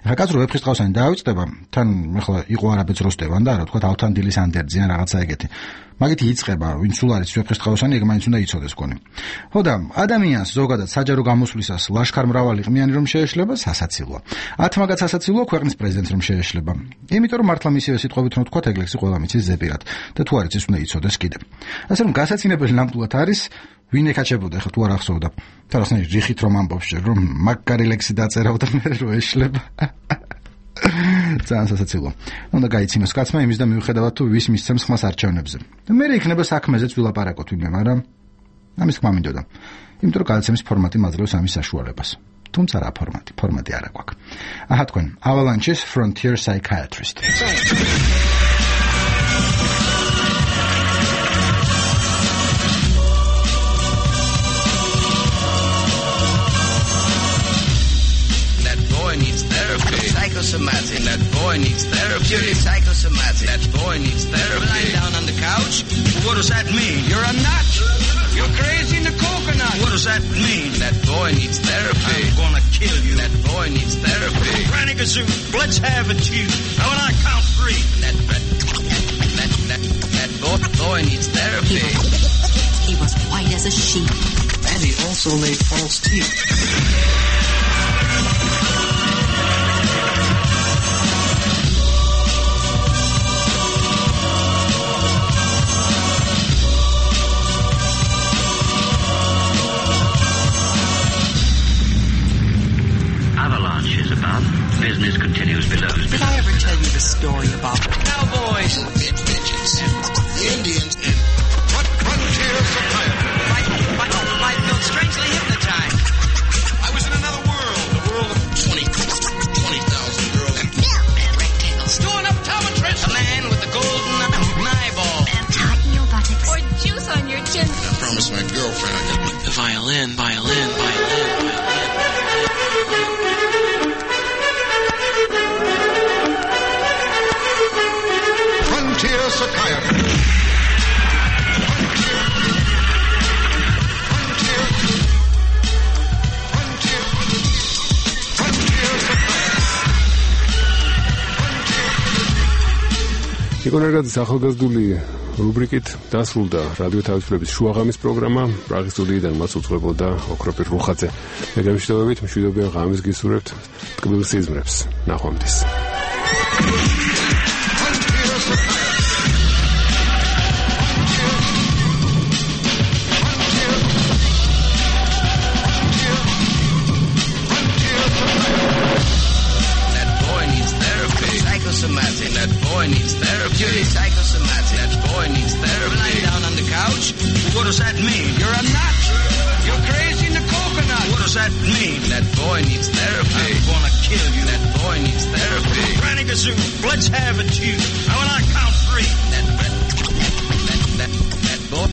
ახლა კაცრო ვეფხისტყაოსანი დაავიწყდება, თან ახლა იყო არაბეთს როსტევან და რა თქვა ავთან დილის ანდერძიან რაღაცა ეგეთი. მაგით იწყება, ვინც სულ არის ვეფხისტყაოსანი, ეგ მაინც უნდა იცოდეს გონი. ხო და ადამიანს ზოგადად საჯარო გამოსვლისას ლაშქარ მრავალი ყმიანი რომ შეეშლება, სასაცილოა. 10 მაგაც სასაცილოა ქვეყნის პრეზიდენტს რომ შეეშლება. იმიტომ რომ მართლა მისივე სიტყვებით რომ თქვა ეგლექსი ყველა მიცის ზეპირად და თუ არის ის უნდა იცოდეს კიდე. ასე რომ გასაცინებელი ნამდვილად არის ვინ ეკაჩებოდა ხა თუ არ ახსოვდა. თორსნაირ რიხით რომ ამბობს რომ მაგარი ლექსი დაწერავ და მე რო ეშლება. ძალიან სასაცილოა. უნდა გაიცინოს კაცმა იმის და მიუხედავად თუ ვის მისცემს ხმას არჩევნებზე. და მე იქნება საქმეზეც ვილაპარაკოთ ვინმე, მაგრამ ამის თქმა მინდოდა. იმიტომ რომ გადაცემის ფორმატი მაძლევს ამის საშუალებას. თუმცა რა ფორმატი არა გვაქვს. აჰა თქვენ Avalanche's Frontier Psychiatrist. Psychosomatic. That boy needs therapy. Purely psychosomatic. That boy needs therapy. Lying down on the couch. What does that mean? You're a nut. You're crazy. does that mean? That boy needs therapy. I'm gonna kill you. That boy needs therapy. Granny Gazoo, let's have it to you. Now when I count 3. That boy needs therapy. He was white as a sheet. And he also made false teeth. Avalanches above. Business continues below. Did I ever tell you the story about the cowboys? Bitches. The Indians and frontier society. I felt strangely hypnotized. I was in another world. The world of 20,000 girls. And rectangles. Doing up Tomatress. A man with a golden eyeball. And tighten your buttocks. Or juice on your chin. I promised my girlfriend I'd get the violin. Frontier psychiatry. იკონერგაძის ახალგაზრდული რუბრიკით დასრულდა რადიო თავისუფლების შუაღამის პროგრამა. პრაღის სტუდიიდან მას უძღვებოდა ოქროპირ რუხაძე. მე გამიშტობებით მშვიდობიან ღამის გისურვებთ. ტკბილ სიზმრებს. ნახვამდის. That boy needs therapy. Psychosomatic. That boy needs therapy. Lying down on the couch. What does that mean? You're a nut. You're crazy in the coconut. What does that mean? That boy needs therapy. I'm gonna kill you. That boy needs therapy. Granny Gazoo, let's have it to you. Now when I count 3. That